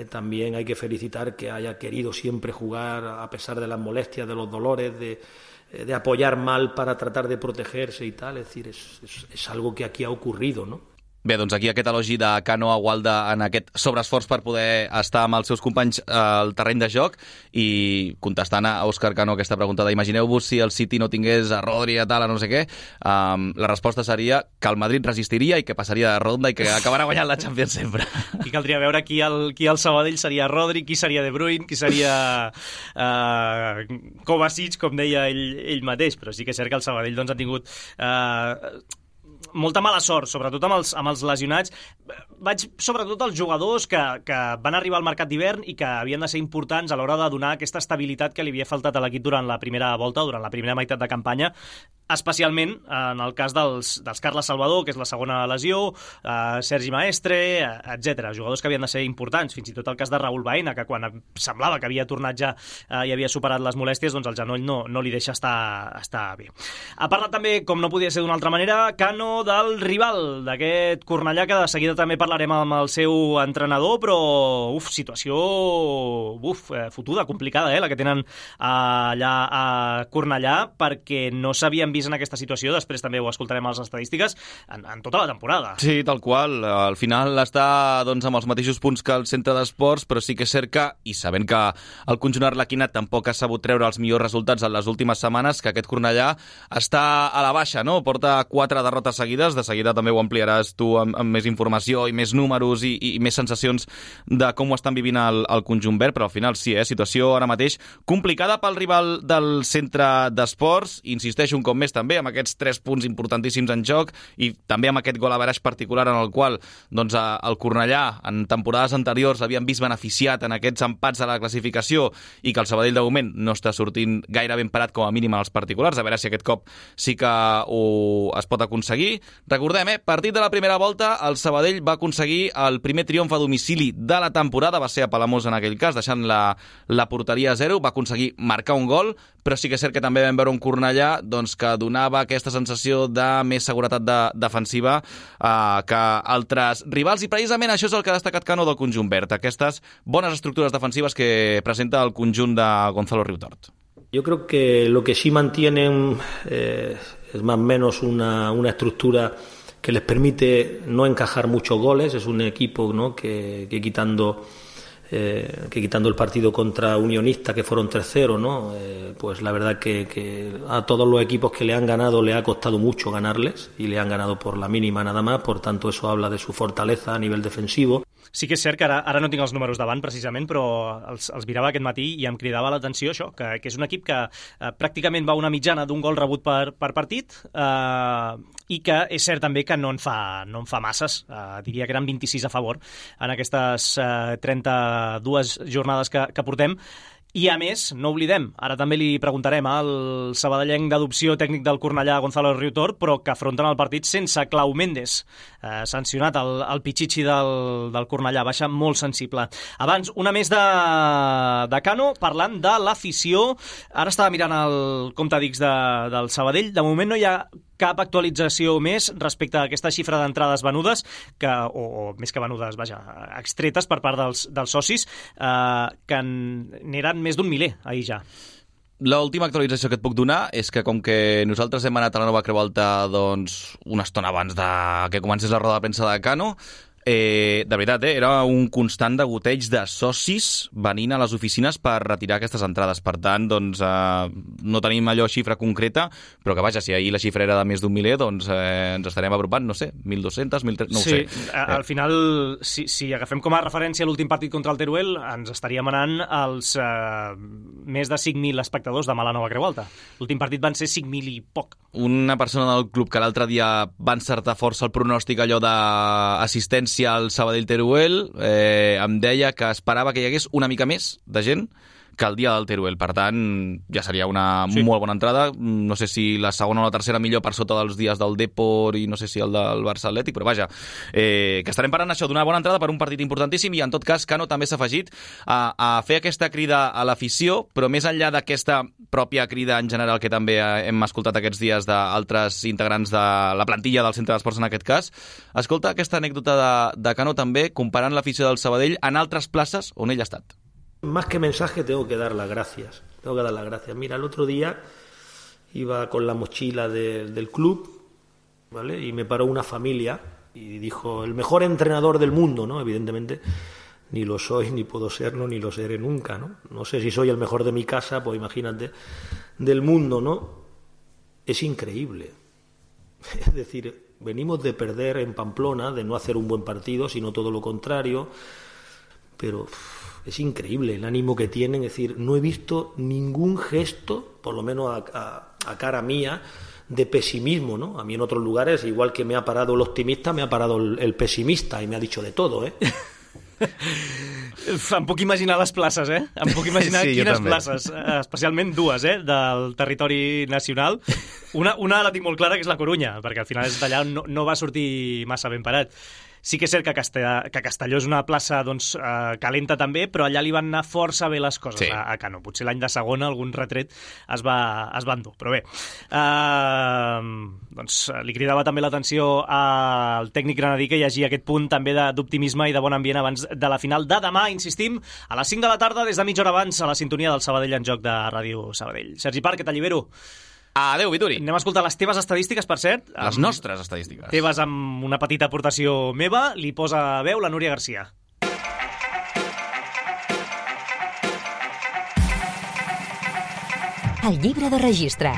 también hay que felicitar que haya querido siempre jugar a pesar de las molestias, de los dolores, de apoyar mal para tratar de protegerse y tal. Es decir, es algo que aquí ha ocurrido, ¿no? Bé, doncs aquí aquest elogi de Cano a Gualda en aquest sobreesforç per poder estar amb els seus companys al terreny de joc, i contestant a Óscar Cano aquesta pregunta de imagineu-vos si el City no tingués a Rodri, a tal, a no sé què, la resposta seria que el Madrid resistiria i que passaria de ronda i que acabarà guanyant la Champions sempre. Aquí caldria veure qui al Sabadell seria Rodri, qui seria De Bruyne, qui seria Kovacic, com deia ell mateix, però sí que és cert que el Sabadell doncs, ha tingut molta mala sort, sobretot amb els lesionats. Vaig sobretot als jugadors que van arribar al mercat d'hivern i que havien de ser importants a l'hora de donar aquesta estabilitat que li havia faltat a l'equip durant la primera volta, durant la primera meitat de campanya. especialment en el cas dels Carles Salvador, que és la segona lesió, Sergi Maestre, etc. Jugadors que havien de ser importants, fins i tot el cas de Raúl Baena, que quan semblava que havia tornat ja i havia superat les molèsties, doncs el genoll no li deixa estar bé. Ha parlat també, com no podia ser d'una altra manera, Cano del rival, d'aquest Cornellà, que de seguida també parlarem amb el seu entrenador, però situació fotuda, complicada, la que tenen allà a Cornellà, perquè no s'havien vist en aquesta situació, després també ho escoltarem a les estadístiques, en tota la temporada. Sí, tal qual. Al final està amb els mateixos punts que el centre d'esports, però sí que és cert que, i sabent que el conjunt arlequinat tampoc ha sabut treure els millors resultats en les últimes setmanes, que aquest Cornellà està a la baixa, no? Porta 4 derrotes seguides, de seguida també ho ampliaràs tu amb més informació i més números i més sensacions de com ho estan vivint el conjunt verd, però al final sí, situació ara mateix complicada pel rival del centre d'esports, insisteixo un cop més també amb aquests 3 punts importantíssims en joc i també amb aquest gol a veraix particular en el qual el Cornellà en temporades anteriors l'havien vist beneficiat en aquests empats a la classificació i que el Sabadell de moment no està sortint gaire ben parat com a mínim en els particulars, a veure si aquest cop sí que es pot aconseguir. Recordem, partit de la primera volta, el Sabadell va aconseguir el primer triomf a domicili de la temporada, va ser a Palamós en aquell cas, deixant la porteria a 0, va aconseguir marcar un gol, però sí que és cert que també vam veure un Cornellà que donava aquesta sensació de més seguretat defensiva que altres rivals, i precisament això és el que ha destacat Cano del conjunt verd, aquestes bones estructures defensives que presenta el conjunt de Gonzalo Riutort. Yo creo que lo que sí mantienen es más o menos una estructura que les permite no encajar muchos goles. Es un equipo, ¿no?, que quitando el partido contra Unionista, que fueron 3-0, ¿no? Pues la verdad que a todos los equipos que le han ganado le ha costado mucho ganarles y le han ganado por la mínima nada más, por tanto eso habla de su fortaleza a nivel defensivo. Sí que és cert que ara no tinc els números davant precisament, però els mirava aquest matí i em cridava l'atenció això, que és un equip que pràcticament va una mitjana d'un gol rebut per partit i que és cert també que no en fa masses, diria que eren 26 a favor en aquestes 32 jornades que portem. I a més, no oblidem, ara també li preguntarem al sabadellenc d'adopció tècnic del Cornellà, Gonzalo Riutort, però que afronten el partit sense Clau Méndez, sancionat el Pichichi del Cornellà, baixa molt sensible. Abans, una més de Cano, parlant de l'afició. Ara estava mirant el compte d'X del Sabadell, de moment no hi ha cap actualització més respecte a aquesta xifra d'entrades venudes, o més que venudes, extretes per part dels socis, que n'eren més d'un miler ahir ja. L'última actualització que et puc donar és que com que nosaltres hem anat a la Nova Creu Alta una estona abans que comencés la roda de premsa de Cano, de veritat, era un constant degoteig de socis venint a les oficines per retirar aquestes entrades. Per tant, no tenim allò xifra concreta, però que vaja, si ahir la xifra era de més d'un miler, ens estarem apropant, no sé, 1.200, 1.300, no ho sé. Sí, al final, si agafem com a referència l'últim partit contra el Teruel, ens estaríem anant als més de 5.000 espectadors demà a la Nova Creu Alta. L'últim partit van ser 5.000 i poc. Una persona del club que l'altre dia va encertar força el pronòstic allò d'assistència al Sabadell-Teruel, em deia que esperava que hi hagués una mica més de gent que el dia del Teruel. Per tant, ja seria una molt bona entrada. No sé si la segona o la tercera millor per sota dels dies del Depor i no sé si el del Barça Atlètic, però vaja, que estarem parlant això d'una bona entrada per un partit importantíssim, i en tot cas Cano també s'ha afegit a fer aquesta crida a l'afició, però més enllà d'aquesta pròpia crida en general que també hem escoltat aquests dies d'altres integrants de la plantilla del Centre d'Esports en aquest cas, escolta aquesta anècdota de Cano també comparant l'afició del Sabadell en altres places on ell ha estat. Más que mensaje tengo que dar las gracias. Mira, el otro día iba con la mochila del club, ¿vale? Y me paró una familia y dijo, el mejor entrenador del mundo, ¿no? Evidentemente ni lo soy, ni puedo serlo, ni lo seré nunca, ¿no? No sé si soy el mejor de mi casa, pues imagínate, del mundo, ¿no? Es increíble. Es decir, venimos de perder en Pamplona, de no hacer un buen partido, sino todo lo contrario, pero es increíble el ánimo que tienen. Es decir, no he visto ningún gesto, por lo menos a cara mía, de pesimismo, ¿no? A mí en otros lugares, igual que me ha parado el optimista, me ha parado el pesimista y me ha dicho de todo, ¿eh? Em puc imaginar les places, Em puc imaginar quines places, especialment dues, del territori nacional. Una la tinc molt clara, que és la Corunya, perquè al final és d'allà on no va sortir massa ben parat. Sí que és cert que Castelló és una plaça calenta també, però allà li van anar força bé les coses a Cano. Potser l'any de segona algun retret es va endur, però bé. Li cridava també l'atenció al tècnic granadí que hi hagi aquest punt també d'optimisme i de bon ambient abans de la final de demà, insistim, a les 5 de la tarda, des de mitja hora abans, a la sintonia del Sabadell en joc de Ràdio Sabadell. Sergi Parc, que t'allibero. Adéu, Vituri. Anem a escoltar les teves estadístiques, per cert. Les nostres estadístiques. Teves amb una petita aportació meva. Li posa veu la Núria Garcia. El llibre de registre.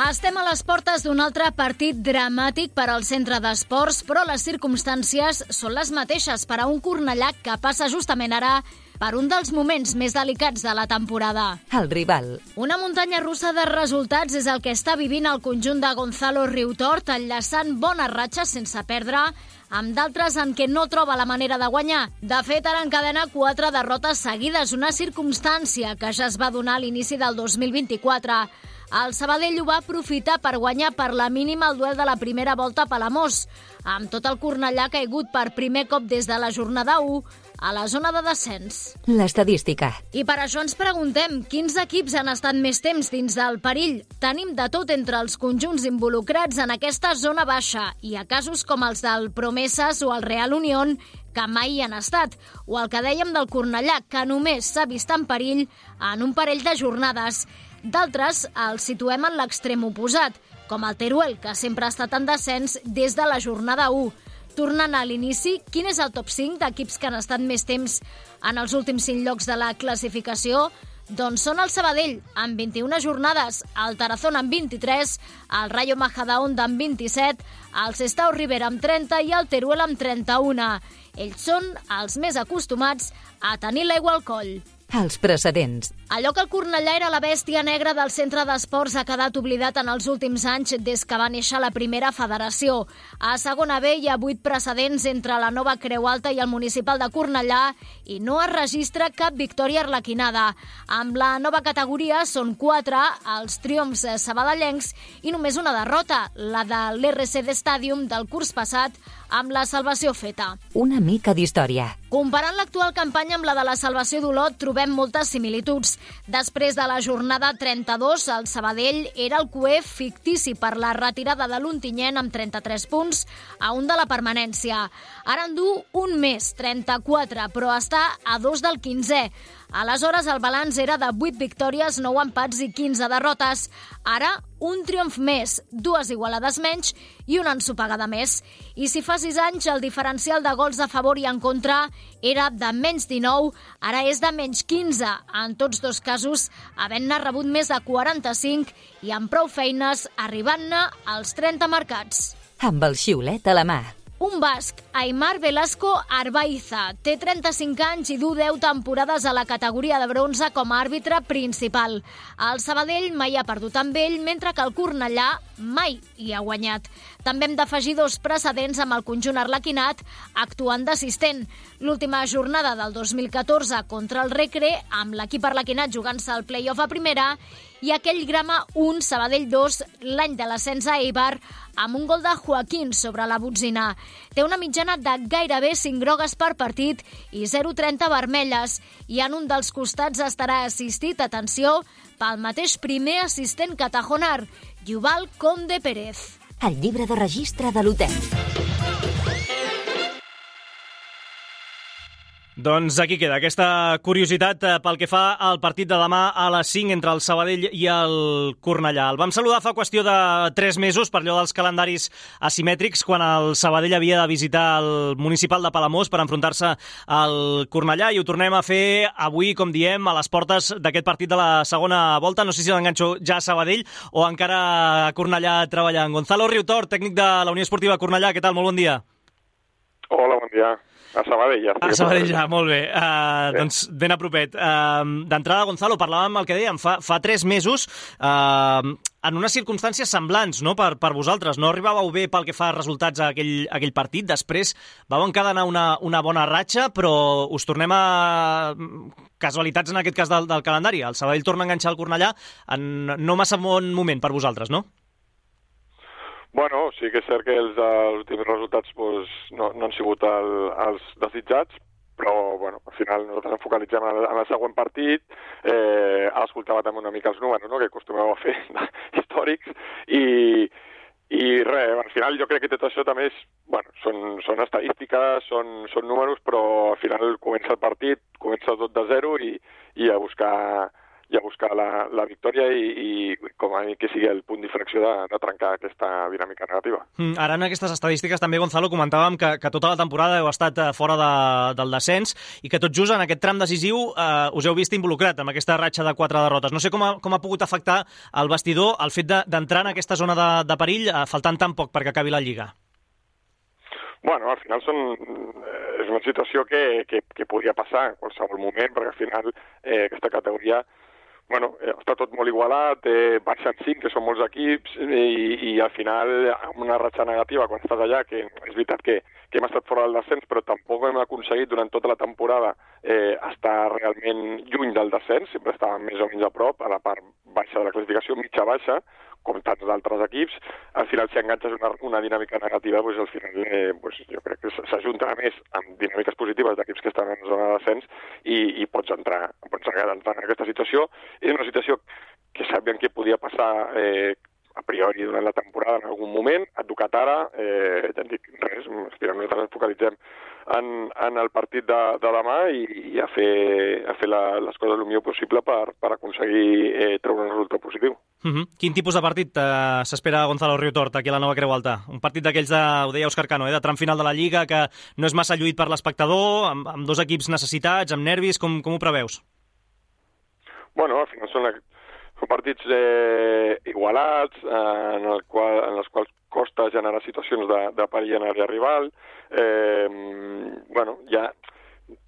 Estem a les portes d'un altre partit dramàtic per al centre d'esports, però les circumstàncies són les mateixes per a un Cornellà que passa justament ara per un dels moments més delicats de la temporada. El rival. Una muntanya russa de resultats és el que està vivint el conjunt de Gonzalo Riutort, enllaçant bones ratxes sense perdre, amb d'altres en què no troba la manera de guanyar. De fet, ara encadena 4 derrotes seguides, una circumstància que ja es va donar a l'inici del 2024. El Sabadell ho va aprofitar per guanyar per la mínima el duel de la primera volta a Palamós, amb tot el Cornellà caigut per primer cop des de la jornada 1 a la zona de descens. L'estadística. I per això ens preguntem quins equips han estat més temps dins del perill. Tenim de tot entre els conjunts involucrats en aquesta zona baixa i a casos com els del Promesas o el Real Unión, que mai hi han estat, o el que dèiem del Cornellà, que només s'ha vist en perill en un parell de jornades. D'altres els situem en l'extrem oposat, com el Teruel, que sempre ha estat en descens des de la jornada 1. Tornant a l'inici, quin és el top 5 d'equips que han estat més temps en els últims 5 llocs de la classificació? Doncs són el Sabadell, amb 21 jornades, el Tarazona amb 23, el Rayo Majadahonda amb 27, el Sestao Rivera amb 30 i el Teruel amb 31. Ells són els més acostumats a tenir l'aigua al coll. Els precedents. Allò que el Cornellà era la bèstia negra del centre d'esports ha quedat oblidat en els últims anys des que va néixer la primera federació. A segona B hi ha 8 precedents entre la nova Creu Alta i el municipal de Cornellà i no es registra cap victòria arlequinada. Amb la nova categoria són 4 els triomfs sabadellencs i només una derrota, la de l'RCD Stadium del curs passat, amb la salvació feta. Una mica d'història. Comparant l'actual campanya amb la de la salvació d'Olot, trobem moltes similituds. Després de la jornada 32, el Sabadell era el cuer fictici per la retirada de l'Ontinyent amb 33 punts a un de la permanència. Ara en du un més, 34, però està a 2 del 15è. Aleshores, el balanç era de 8 victòries, 9 empats i 15 derrotes. Ara, un triomf més, 2 igualades menys i una ensopegada més. I si fa 6 anys el diferencial de gols a favor i en contra era de menys 19, ara és de menys 15. En tots dos casos, havent-ne rebut més de 45 i amb prou feines, arribant-ne als 30 marcats. Amb el xiulet a la mà. Un basc, Aimar Velasco Arbaiza, té 35 anys i du 10 temporades a la categoria de bronze com a àrbitre principal. El Sabadell mai ha perdut amb ell, mentre que el Cornellà mai hi ha guanyat. També hem d'afegir 2 precedents amb el conjunt arlequinat actuant d'assistent. L'última jornada del 2014 contra el Recre, amb l'equip arlequinat jugant-se el play-off a primera, i aquell Grama 1, Sabadell 2, l'any de l'ascens a Eibar, amb un gol de Joaquín sobre la botzina. Té una mitjana de gairebé 5 grogues per partit i 0,30 vermelles, i en un dels costats estarà assistit, atenció, pel mateix primer assistent catajonar, Yuval Conde Pérez. El llibre de registre de l'hotel. Doncs aquí queda aquesta curiositat pel que fa al partit de demà a les 5 entre el Sabadell i el Cornellà. El vam saludar fa qüestió de 3 mesos per allò dels calendaris asimètrics, quan el Sabadell havia de visitar el municipal de Palamós per enfrontar-se al Cornellà, i ho tornem a fer avui, com diem, a les portes d'aquest partit de la segona volta. No sé si l'enganxo ja a Sabadell o encara a Cornellà treballant. Gonzalo Riutort, tècnic de la Unió Esportiva Cornellà, què tal? Molt bon dia. Hola, bon dia. A Sabadell ja. A Sabadell ja, molt bé. Doncs ben a propet. D'entrada, Gonzalo, parlàvem el que dèiem, fa 3 mesos en unes circumstàncies semblants, no?, per vosaltres. No arribàveu bé pel que fa a resultats a aquell partit. Després vau encadenar una bona ratxa, però us tornem a casualitats en aquest cas del calendari. El Sabadell torna a enganxar el Cornellà en no massa bon moment per vosaltres, no? Bueno, sí que és cert que els últims resultats no han sigut els desitjats, però bueno, al final nosaltres ens focalitzem en el següent partit. Ara escoltava també una mica els números, no?, que acostumeu a fer històrics, i res, al final jo crec que tot això també són estadístiques, són números, però al final comença el partit, comença tot de zero i a buscar la victòria i com a mi que sigui el punt d'inflexió de trencar aquesta dinàmica negativa. Ara en aquestes estadístiques també, Gonzalo, comentàvem que tota la temporada heu estat fora del descens i que tot just en aquest tram decisiu us heu vist involucrat amb aquesta ratxa de 4 derrotes. No sé com ha pogut afectar el vestidor el fet d'entrar en aquesta zona de perill faltant tan poc perquè acabi la Lliga. Bueno, al final és una situació que podria passar en qualsevol moment, perquè al final aquesta categoria està tot molt igualat, baixen 5, que són molts equips, i al final, amb una ratxa negativa, quan estàs allà, que és veritat que hem estat fora del descens, però tampoc hem aconseguit durant tota la temporada estar realment lluny del descens, sempre estàvem més o menys a prop, a la part baixa de la classificació, mitja-baixa, com tants d'altres equips. Al final, si enganxes una dinàmica negativa, al final jo crec que s'ajunta més amb dinàmiques positives d'equips que estan en zona de descens i pots entrar en aquesta situació. És una situació que sabíem que podia passar a priori durant la temporada en algun moment. Ha tocat ara, ja en dic res, nosaltres ens focalitzem en el partit de demà i a fer les coses el millor possible per aconseguir treure un resultat positiu. Quin tipus de partit s'espera Gonzalo Riutort aquí a la Nova Creu Alta? Un partit d'aquells, ho deia Òscar Cano, de tram final de la Lliga, que no és massa lluït per l'espectador, amb dos equips necessitats, amb nervis, com ho preveus? Bueno, al final són partits igualats, en els quals costa generar situacions de perill en àrea rival.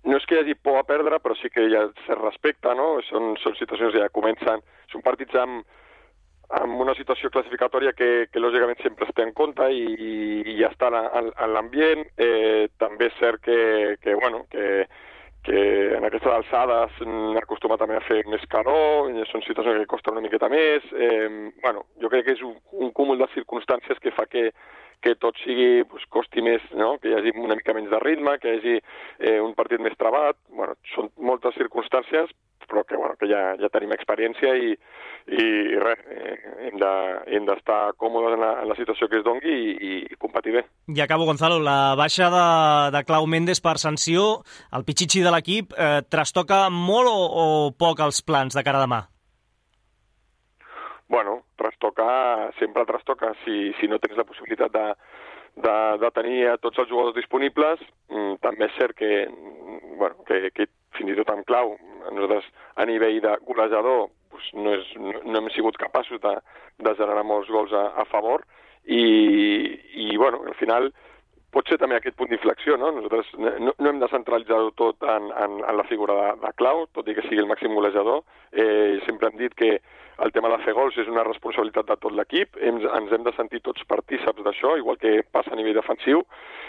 No és que hi hagi por a perdre, però sí que hi ha cert respecte, no? Són situacions que ja comencen, són partits amb una situació classificatòria que lògicament sempre es té en compte i ja està en l'ambient. També és cert que en aquestes alçades acostuma també a fer més calor, són situacions que costen una miqueta més. Jo crec que és un cúmul de circumstàncies que fa que tot sigui, costi més, no?, que hi hagi una mica menys de ritme, que hi hagi un partit més trabat. Són moltes circumstàncies, però que ja tenim experiència i res, hem d'estar còmodes en la situació que es dongui i competir bé. I acabo, Gonzalo, la baixa de Clau Méndez per sanció, el pitxitxi de l'equip, trastoca molt o poc els plans de cara a demà? Bueno, sempre trastoca. Si no tens la possibilitat de tenir a tots els jugadors disponibles, també és cert que fins i tot amb Clau, nosaltres a nivell de golejador no hem sigut capaços de generar molts gols a favor i al final pot ser també aquest punt d'inflexió, no? Nosaltres no hem de centralitzar-ho tot en la figura de Clau, tot i que sigui el màxim golejador. Sempre hem dit que el tema de fer gols és una responsabilitat de tot l'equip, ens hem de sentir tots partíceps d'això, igual que passa a nivell defensiu,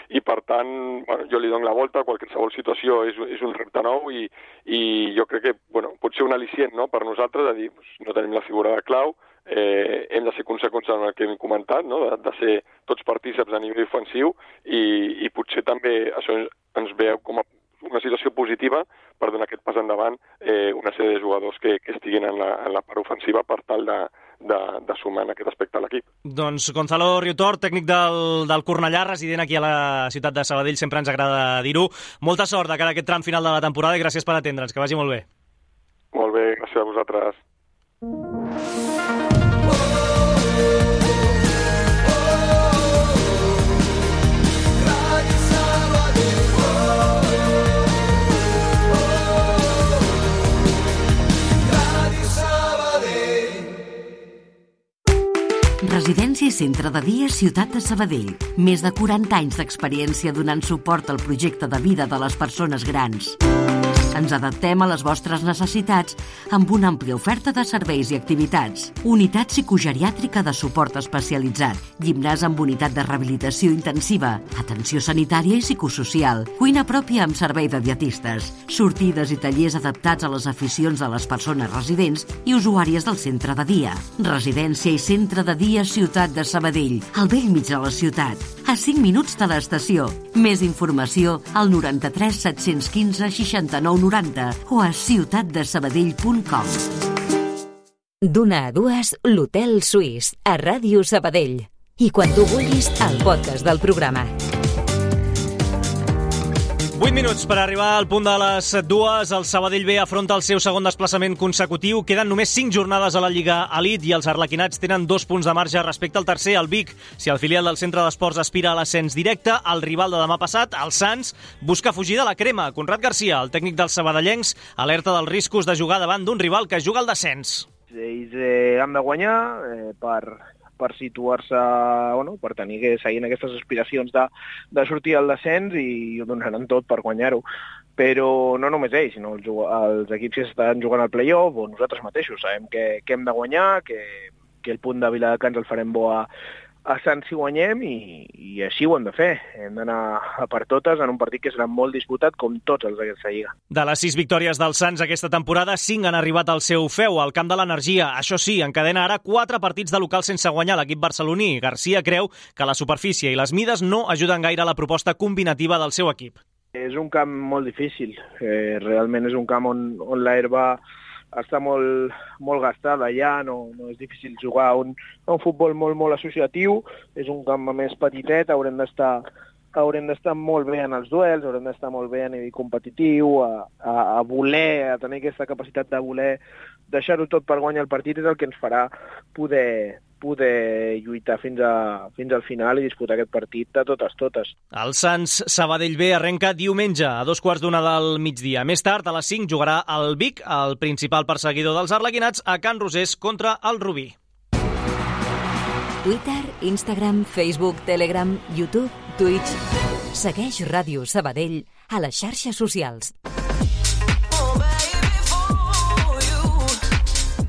i per tant jo li dono la volta a qualsevol situació, és un repte nou i jo crec que pot ser un al·licient, no?, per nosaltres, de dir, no tenim la figura de Clau, hem de ser conseqüents en el que hem comentat, no?, de ser tots partíceps a nivell ofensiu i potser també això ens veu com a una situació positiva per donar aquest pas endavant una sèrie de jugadors que estiguin en la part ofensiva per tal de sumar en aquest aspecte a l'equip. Doncs Gonzalo Riutort, tècnic del Cornellà, resident aquí a la ciutat de Sabadell, sempre ens agrada dir-ho. Molta sort de cara a aquest tram final de la temporada i gràcies per atendre'ns, que vagi molt bé. Molt bé, gràcies a vosaltres. Residència i centre de dia Ciutat de Sabadell. Més de 40 anys d'experiència donant suport al projecte de vida de les persones grans. Ens adaptem a les vostres necessitats amb una àmplia oferta de serveis i activitats. Unitat psicogeriàtrica de suport especialitzat, gimnàs amb unitat de rehabilitació intensiva, atenció sanitària i psicosocial, cuina pròpia amb servei de dietistes, sortides i tallers adaptats a les aficions de les persones residents i usuàries del centre de dia. Residència i centre de dia Ciutat de Sabadell, al bell mig de la ciutat, a 5 minuts de l'estació. Més informació al 93 715 69 90 o a ciutatdesabadell.com. D'una a dues, l'Hotel Suís, a Ràdio Sabadell. I quan tu vulguis, el podcast del programa. 8 minuts per arribar al punt de les 2. El Sabadell B afronta el seu segon desplaçament consecutiu. Queden només 5 jornades a la Lliga Elite i els arlequinats tenen 2 punts de marge respecte al tercer, el Vic. Si el filial del Centre d'Esports aspira a l'ascens directe, el rival de demà passat, el Sants, busca fugir de la crema. Conrad Garcia, el tècnic dels sabadellencs, alerta dels riscos de jugar davant d'un rival que juga al descens. Ells han de guanyar per situar-se, per seguir aquestes aspiracions de sortir al descens i ho donaran tot per guanyar-ho. Però no només ells, sinó els equips que estan jugant al play-off o nosaltres mateixos. Sabem que hem de guanyar, que el punt de Viladecans el farem bo a Sants si guanyem i així ho hem de fer. Hem d'anar a per totes en un partit que serà molt disputat com tots els d'aquesta lliga. De les 6 victòries dels Sants aquesta temporada, 5 han arribat al seu feu, al camp de l'Energia. Això sí, encadena ara 4 partits de local sense guanyar l'equip barceloní. Garcia creu que la superfície i les mides no ajuden gaire a la proposta combinativa del seu equip. És un camp molt difícil. Realment és un camp on l'herba està molt gastada ja, no és difícil jugar un futbol molt associatiu, és un camp més petitet, haurem d'estar molt bé en els duels, haurem d'estar molt bé a nivell competitiu, a tenir aquesta capacitat de voler deixar-ho tot per guanyar el partit és el que ens farà poder lluitar fins al final i disputar aquest partit de totes. El Sants Sabadell B arrenca diumenge a 2:15 del migdia. Més tard, a les 5, jugarà el Vic, el principal perseguidor dels arlequinats, a Can Rosés contra el Rubí. Twitter, Instagram, Facebook, Telegram, YouTube, Twitch. Segueix Ràdio Sabadell a les xarxes socials.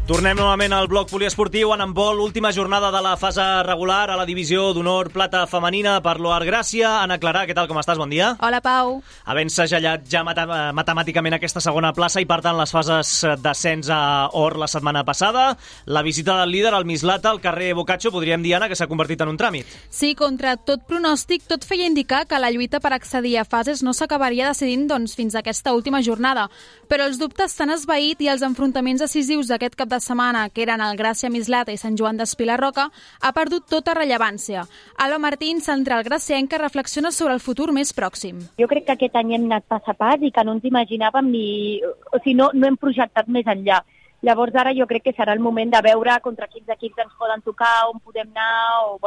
Tornem novament al bloc poliesportiu en handbol, última jornada de la fase regular a la divisió d'honor plata femenina per l'Oar Gràcia. Anna Clarà, què tal, com estàs? Bon dia. Hola, Pau. Havent segellat ja matemàticament aquesta segona plaça i, per tant, les fases d'ascens a Or la setmana passada, la visita del líder, el Mislata, al carrer Boccaccio, podríem dir, Anna, que s'ha convertit en un tràmit. Sí, contra tot pronòstic, tot feia indicar que la lluita per accedir a fases no s'acabaria decidint fins a aquesta última jornada. Però els dubtes s'han esvaït i els enfrontaments decisius d'aquest cap de setmana, que eren el Gràcia Mislata i Sant Joan d'Espí la Roca, ha perdut tota rellevància. Alba Martín, central gracienca, reflexiona sobre el futur més pròxim. Jo crec que aquest any hem anat pas a pas i que no ens imaginàvem no hem projectat més enllà. Llavors ara jo crec que serà el moment de veure contra quins equips ens poden tocar, on podem anar,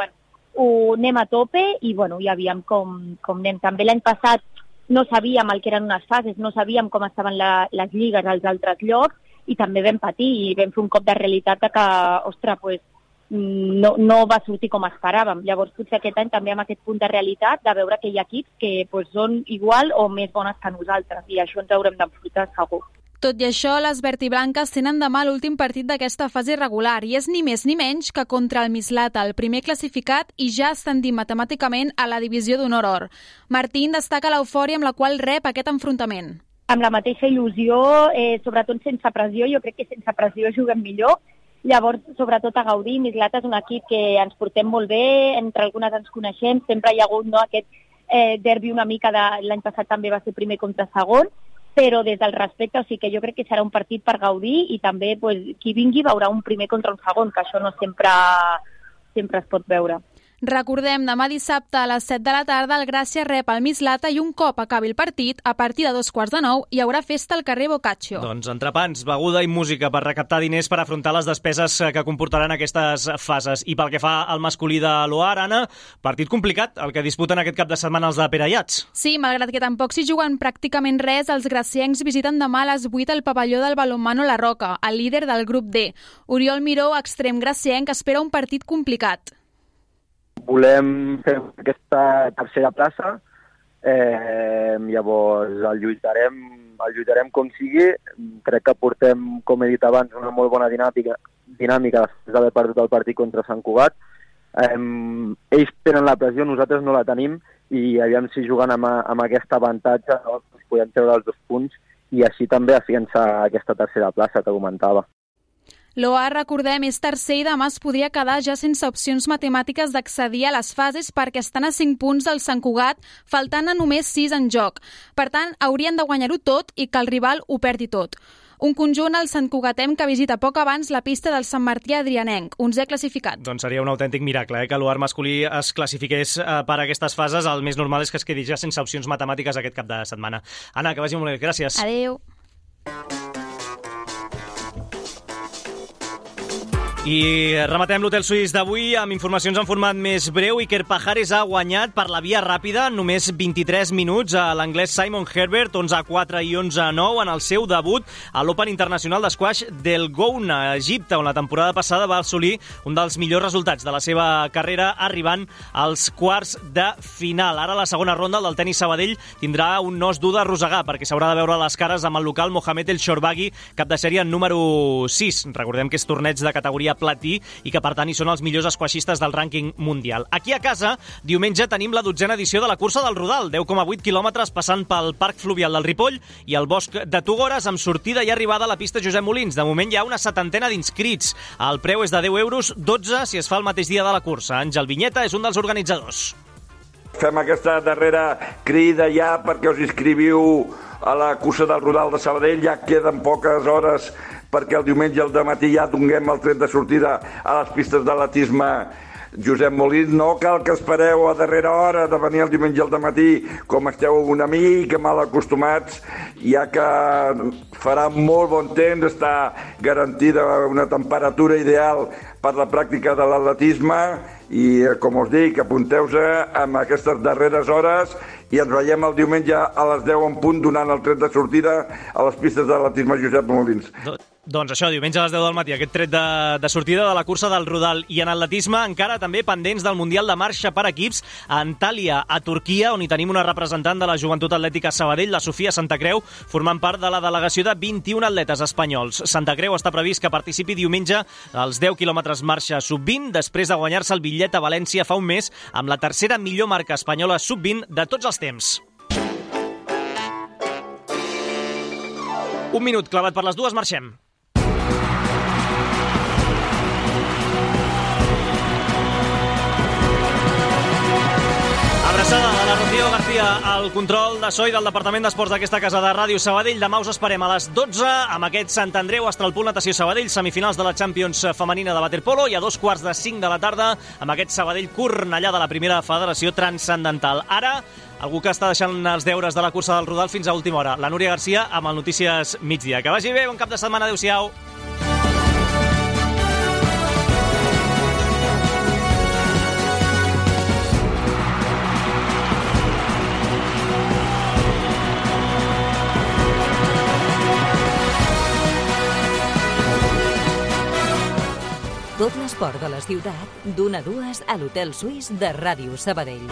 ho anem a tope i ja aviam com anem. També l'any passat no sabíem el que eren unes fases, no sabíem com estaven les lligues als altres llocs i també vam patir i vam fer un cop de realitat de que, no va sortir com esperàvem. Llavors potser aquest any també amb aquest punt de realitat de veure que hi ha equips que són igual o més bones que nosaltres i això ens haurem d'enfrontar segur. Tot i això, les verdiblanques tenen demà l'últim partit d'aquesta fase regular i és ni més ni menys que contra el Mislata, el primer classificat i ja ascendir matemàticament a la divisió d'honor or. Martín destaca l'eufòria amb la qual rep aquest enfrontament. Amb la mateixa il·lusió, sobretot sense pressió, jo crec que sense pressió juguem millor. Llavors, sobretot a gaudir, Mislata és un equip que ens portem molt bé, entre algunes ens coneixem, sempre hi ha hagut aquest derbi una mica l'any passat també va ser primer contra segon, però des del respecte, o sigui que jo crec que serà un partit per gaudir i també qui vingui veurà un primer contra un segon, que això no sempre es pot veure. Recordem, demà dissabte a les 7 de la tarda el Gràcia rep el Mislata i un cop acabi el partit, a partir de 8:45, hi haurà festa al carrer Boccaccio. Doncs entrepans, beguda i música per recaptar diners per afrontar les despeses que comportaran aquestes fases. I pel que fa al masculí de l'Oar, Anna, partit complicat, el que disputen aquest cap de setmana els de Perellats. Sí, malgrat que tampoc s'hi juguen pràcticament res, els graciencs visiten demà a les 8 el pavelló del Balonmano La Roca, el líder del grup D. Oriol Miró, extrem gracienc, espera un partit complicat. Volem fer aquesta tercera plaça, llavors el lluitarem el lluitarem com sigui. Crec que portem, com he dit abans, una molt bona dinàmica després d'haver perdut el partit contra Sant Cugat. Ells tenen la pressió, nosaltres no la tenim, i aviam si jugant amb aquest avantatge podem treure els 2 punts i així també afiançar aquesta tercera plaça que comentava. L'OA, recordem, és tercer i demà es podria quedar ja sense opcions matemàtiques d'accedir a les fases perquè estan a 5 punts del Sant Cugat, faltant a només 6 en joc. Per tant, haurien de guanyar-ho tot i que el rival ho perdi tot. Un conjunt, el Sant Cugatem, que visita poc abans la pista del Sant Martí Adrianenc, 11è classificat. Doncs seria un autèntic miracle, que l'UAR masculí es classifiqués per aquestes fases. El més normal és que es quedi ja sense opcions matemàtiques aquest cap de setmana. Anna, que vagi molt bé. Gràcies. Adéu. I rematem l'Hotel Suís d'avui amb informacions en format més breu. Iker Pajares ha guanyat per la via ràpida només 23 minuts a l'anglès Simon Herbert, 11-4 i 11-9 en el seu debut a l'Open Internacional d'Esquash del Gouna, a Egipte, on la temporada passada va assolir un dels millors resultats de la seva carrera, arribant als quarts de final. Ara la segona ronda del tenis Sabadell tindrà un nos dur d'arrossegar perquè s'haurà de veure les cares amb el local Mohamed El Shorbaghi, cap de sèrie número 6. Recordem que és torneig de categoria platí i que per tant hi són els millors esquaixistes del rànquing mundial. Aquí a casa, diumenge tenim la 12a edició de la cursa del Rodal, 10,8 quilòmetres passant pel Parc Fluvial del Ripoll i el Bosc de Tugores, amb sortida i arribada a la pista Josep Molins. De moment hi ha una 70 d'inscrits. El preu és de 10 euros, 12 si es fa el mateix dia de la cursa. Àngel Vinyeta és un dels organitzadors. Fem aquesta darrera crida ja perquè us inscriviu a la cursa del Rodal de Sabadell. Ja queden poques hores perquè el diumenge al dematí ja donem el tret de sortida a les pistes d'atletisme Josep Molins. No cal que espereu a darrera hora de venir el diumenge al dematí, com esteu una mica mal acostumats, ja que farà molt bon temps, està garantida una temperatura ideal per la pràctica de l'atletisme i, com us dic, apunteu-se amb aquestes darreres hores i ens veiem el diumenge a les 10 en punt donant el tret de sortida a les pistes d'atletisme Josep Molins. Doncs això, diumenge a les 10 del matí, aquest tret de sortida de la cursa del Rodal. I en atletisme encara també pendents del Mundial de Marxa per equips a Antalya, a Turquia, on hi tenim una representant de la Joventut Atlètica Sabadell, la Sofia Santacreu, formant part de la delegació de 21 atletes espanyols. Santacreu està previst que participi diumenge als 10 quilòmetres marxa sub-20, després de guanyar-se el bitllet a València fa un mes amb la tercera millor marca espanyola sub-20 de tots els temps. Un minut clavat per les dues, marxem. Abraçada de la Rocío García al control de so i del Departament d'Esports d'aquesta casa de Ràdio Sabadell. Demà us esperem a les 12 amb aquest Sant Andreu Astralpool Natació Sabadell, semifinals de la Champions femenina de waterpolo, i a 2:45 de la tarda amb aquest Sabadell Cornellà de la primera federació transcendental. Ara, algú que està deixant els deures de la cursa del Rodal fins a última hora, la Núria Garcia amb el Notícies Migdia. Que vagi bé, bon cap de setmana, adéu-siau. Tot l'esport de la ciutat, d'1 a 2 a l'Hotel Suís de Ràdio Sabadell.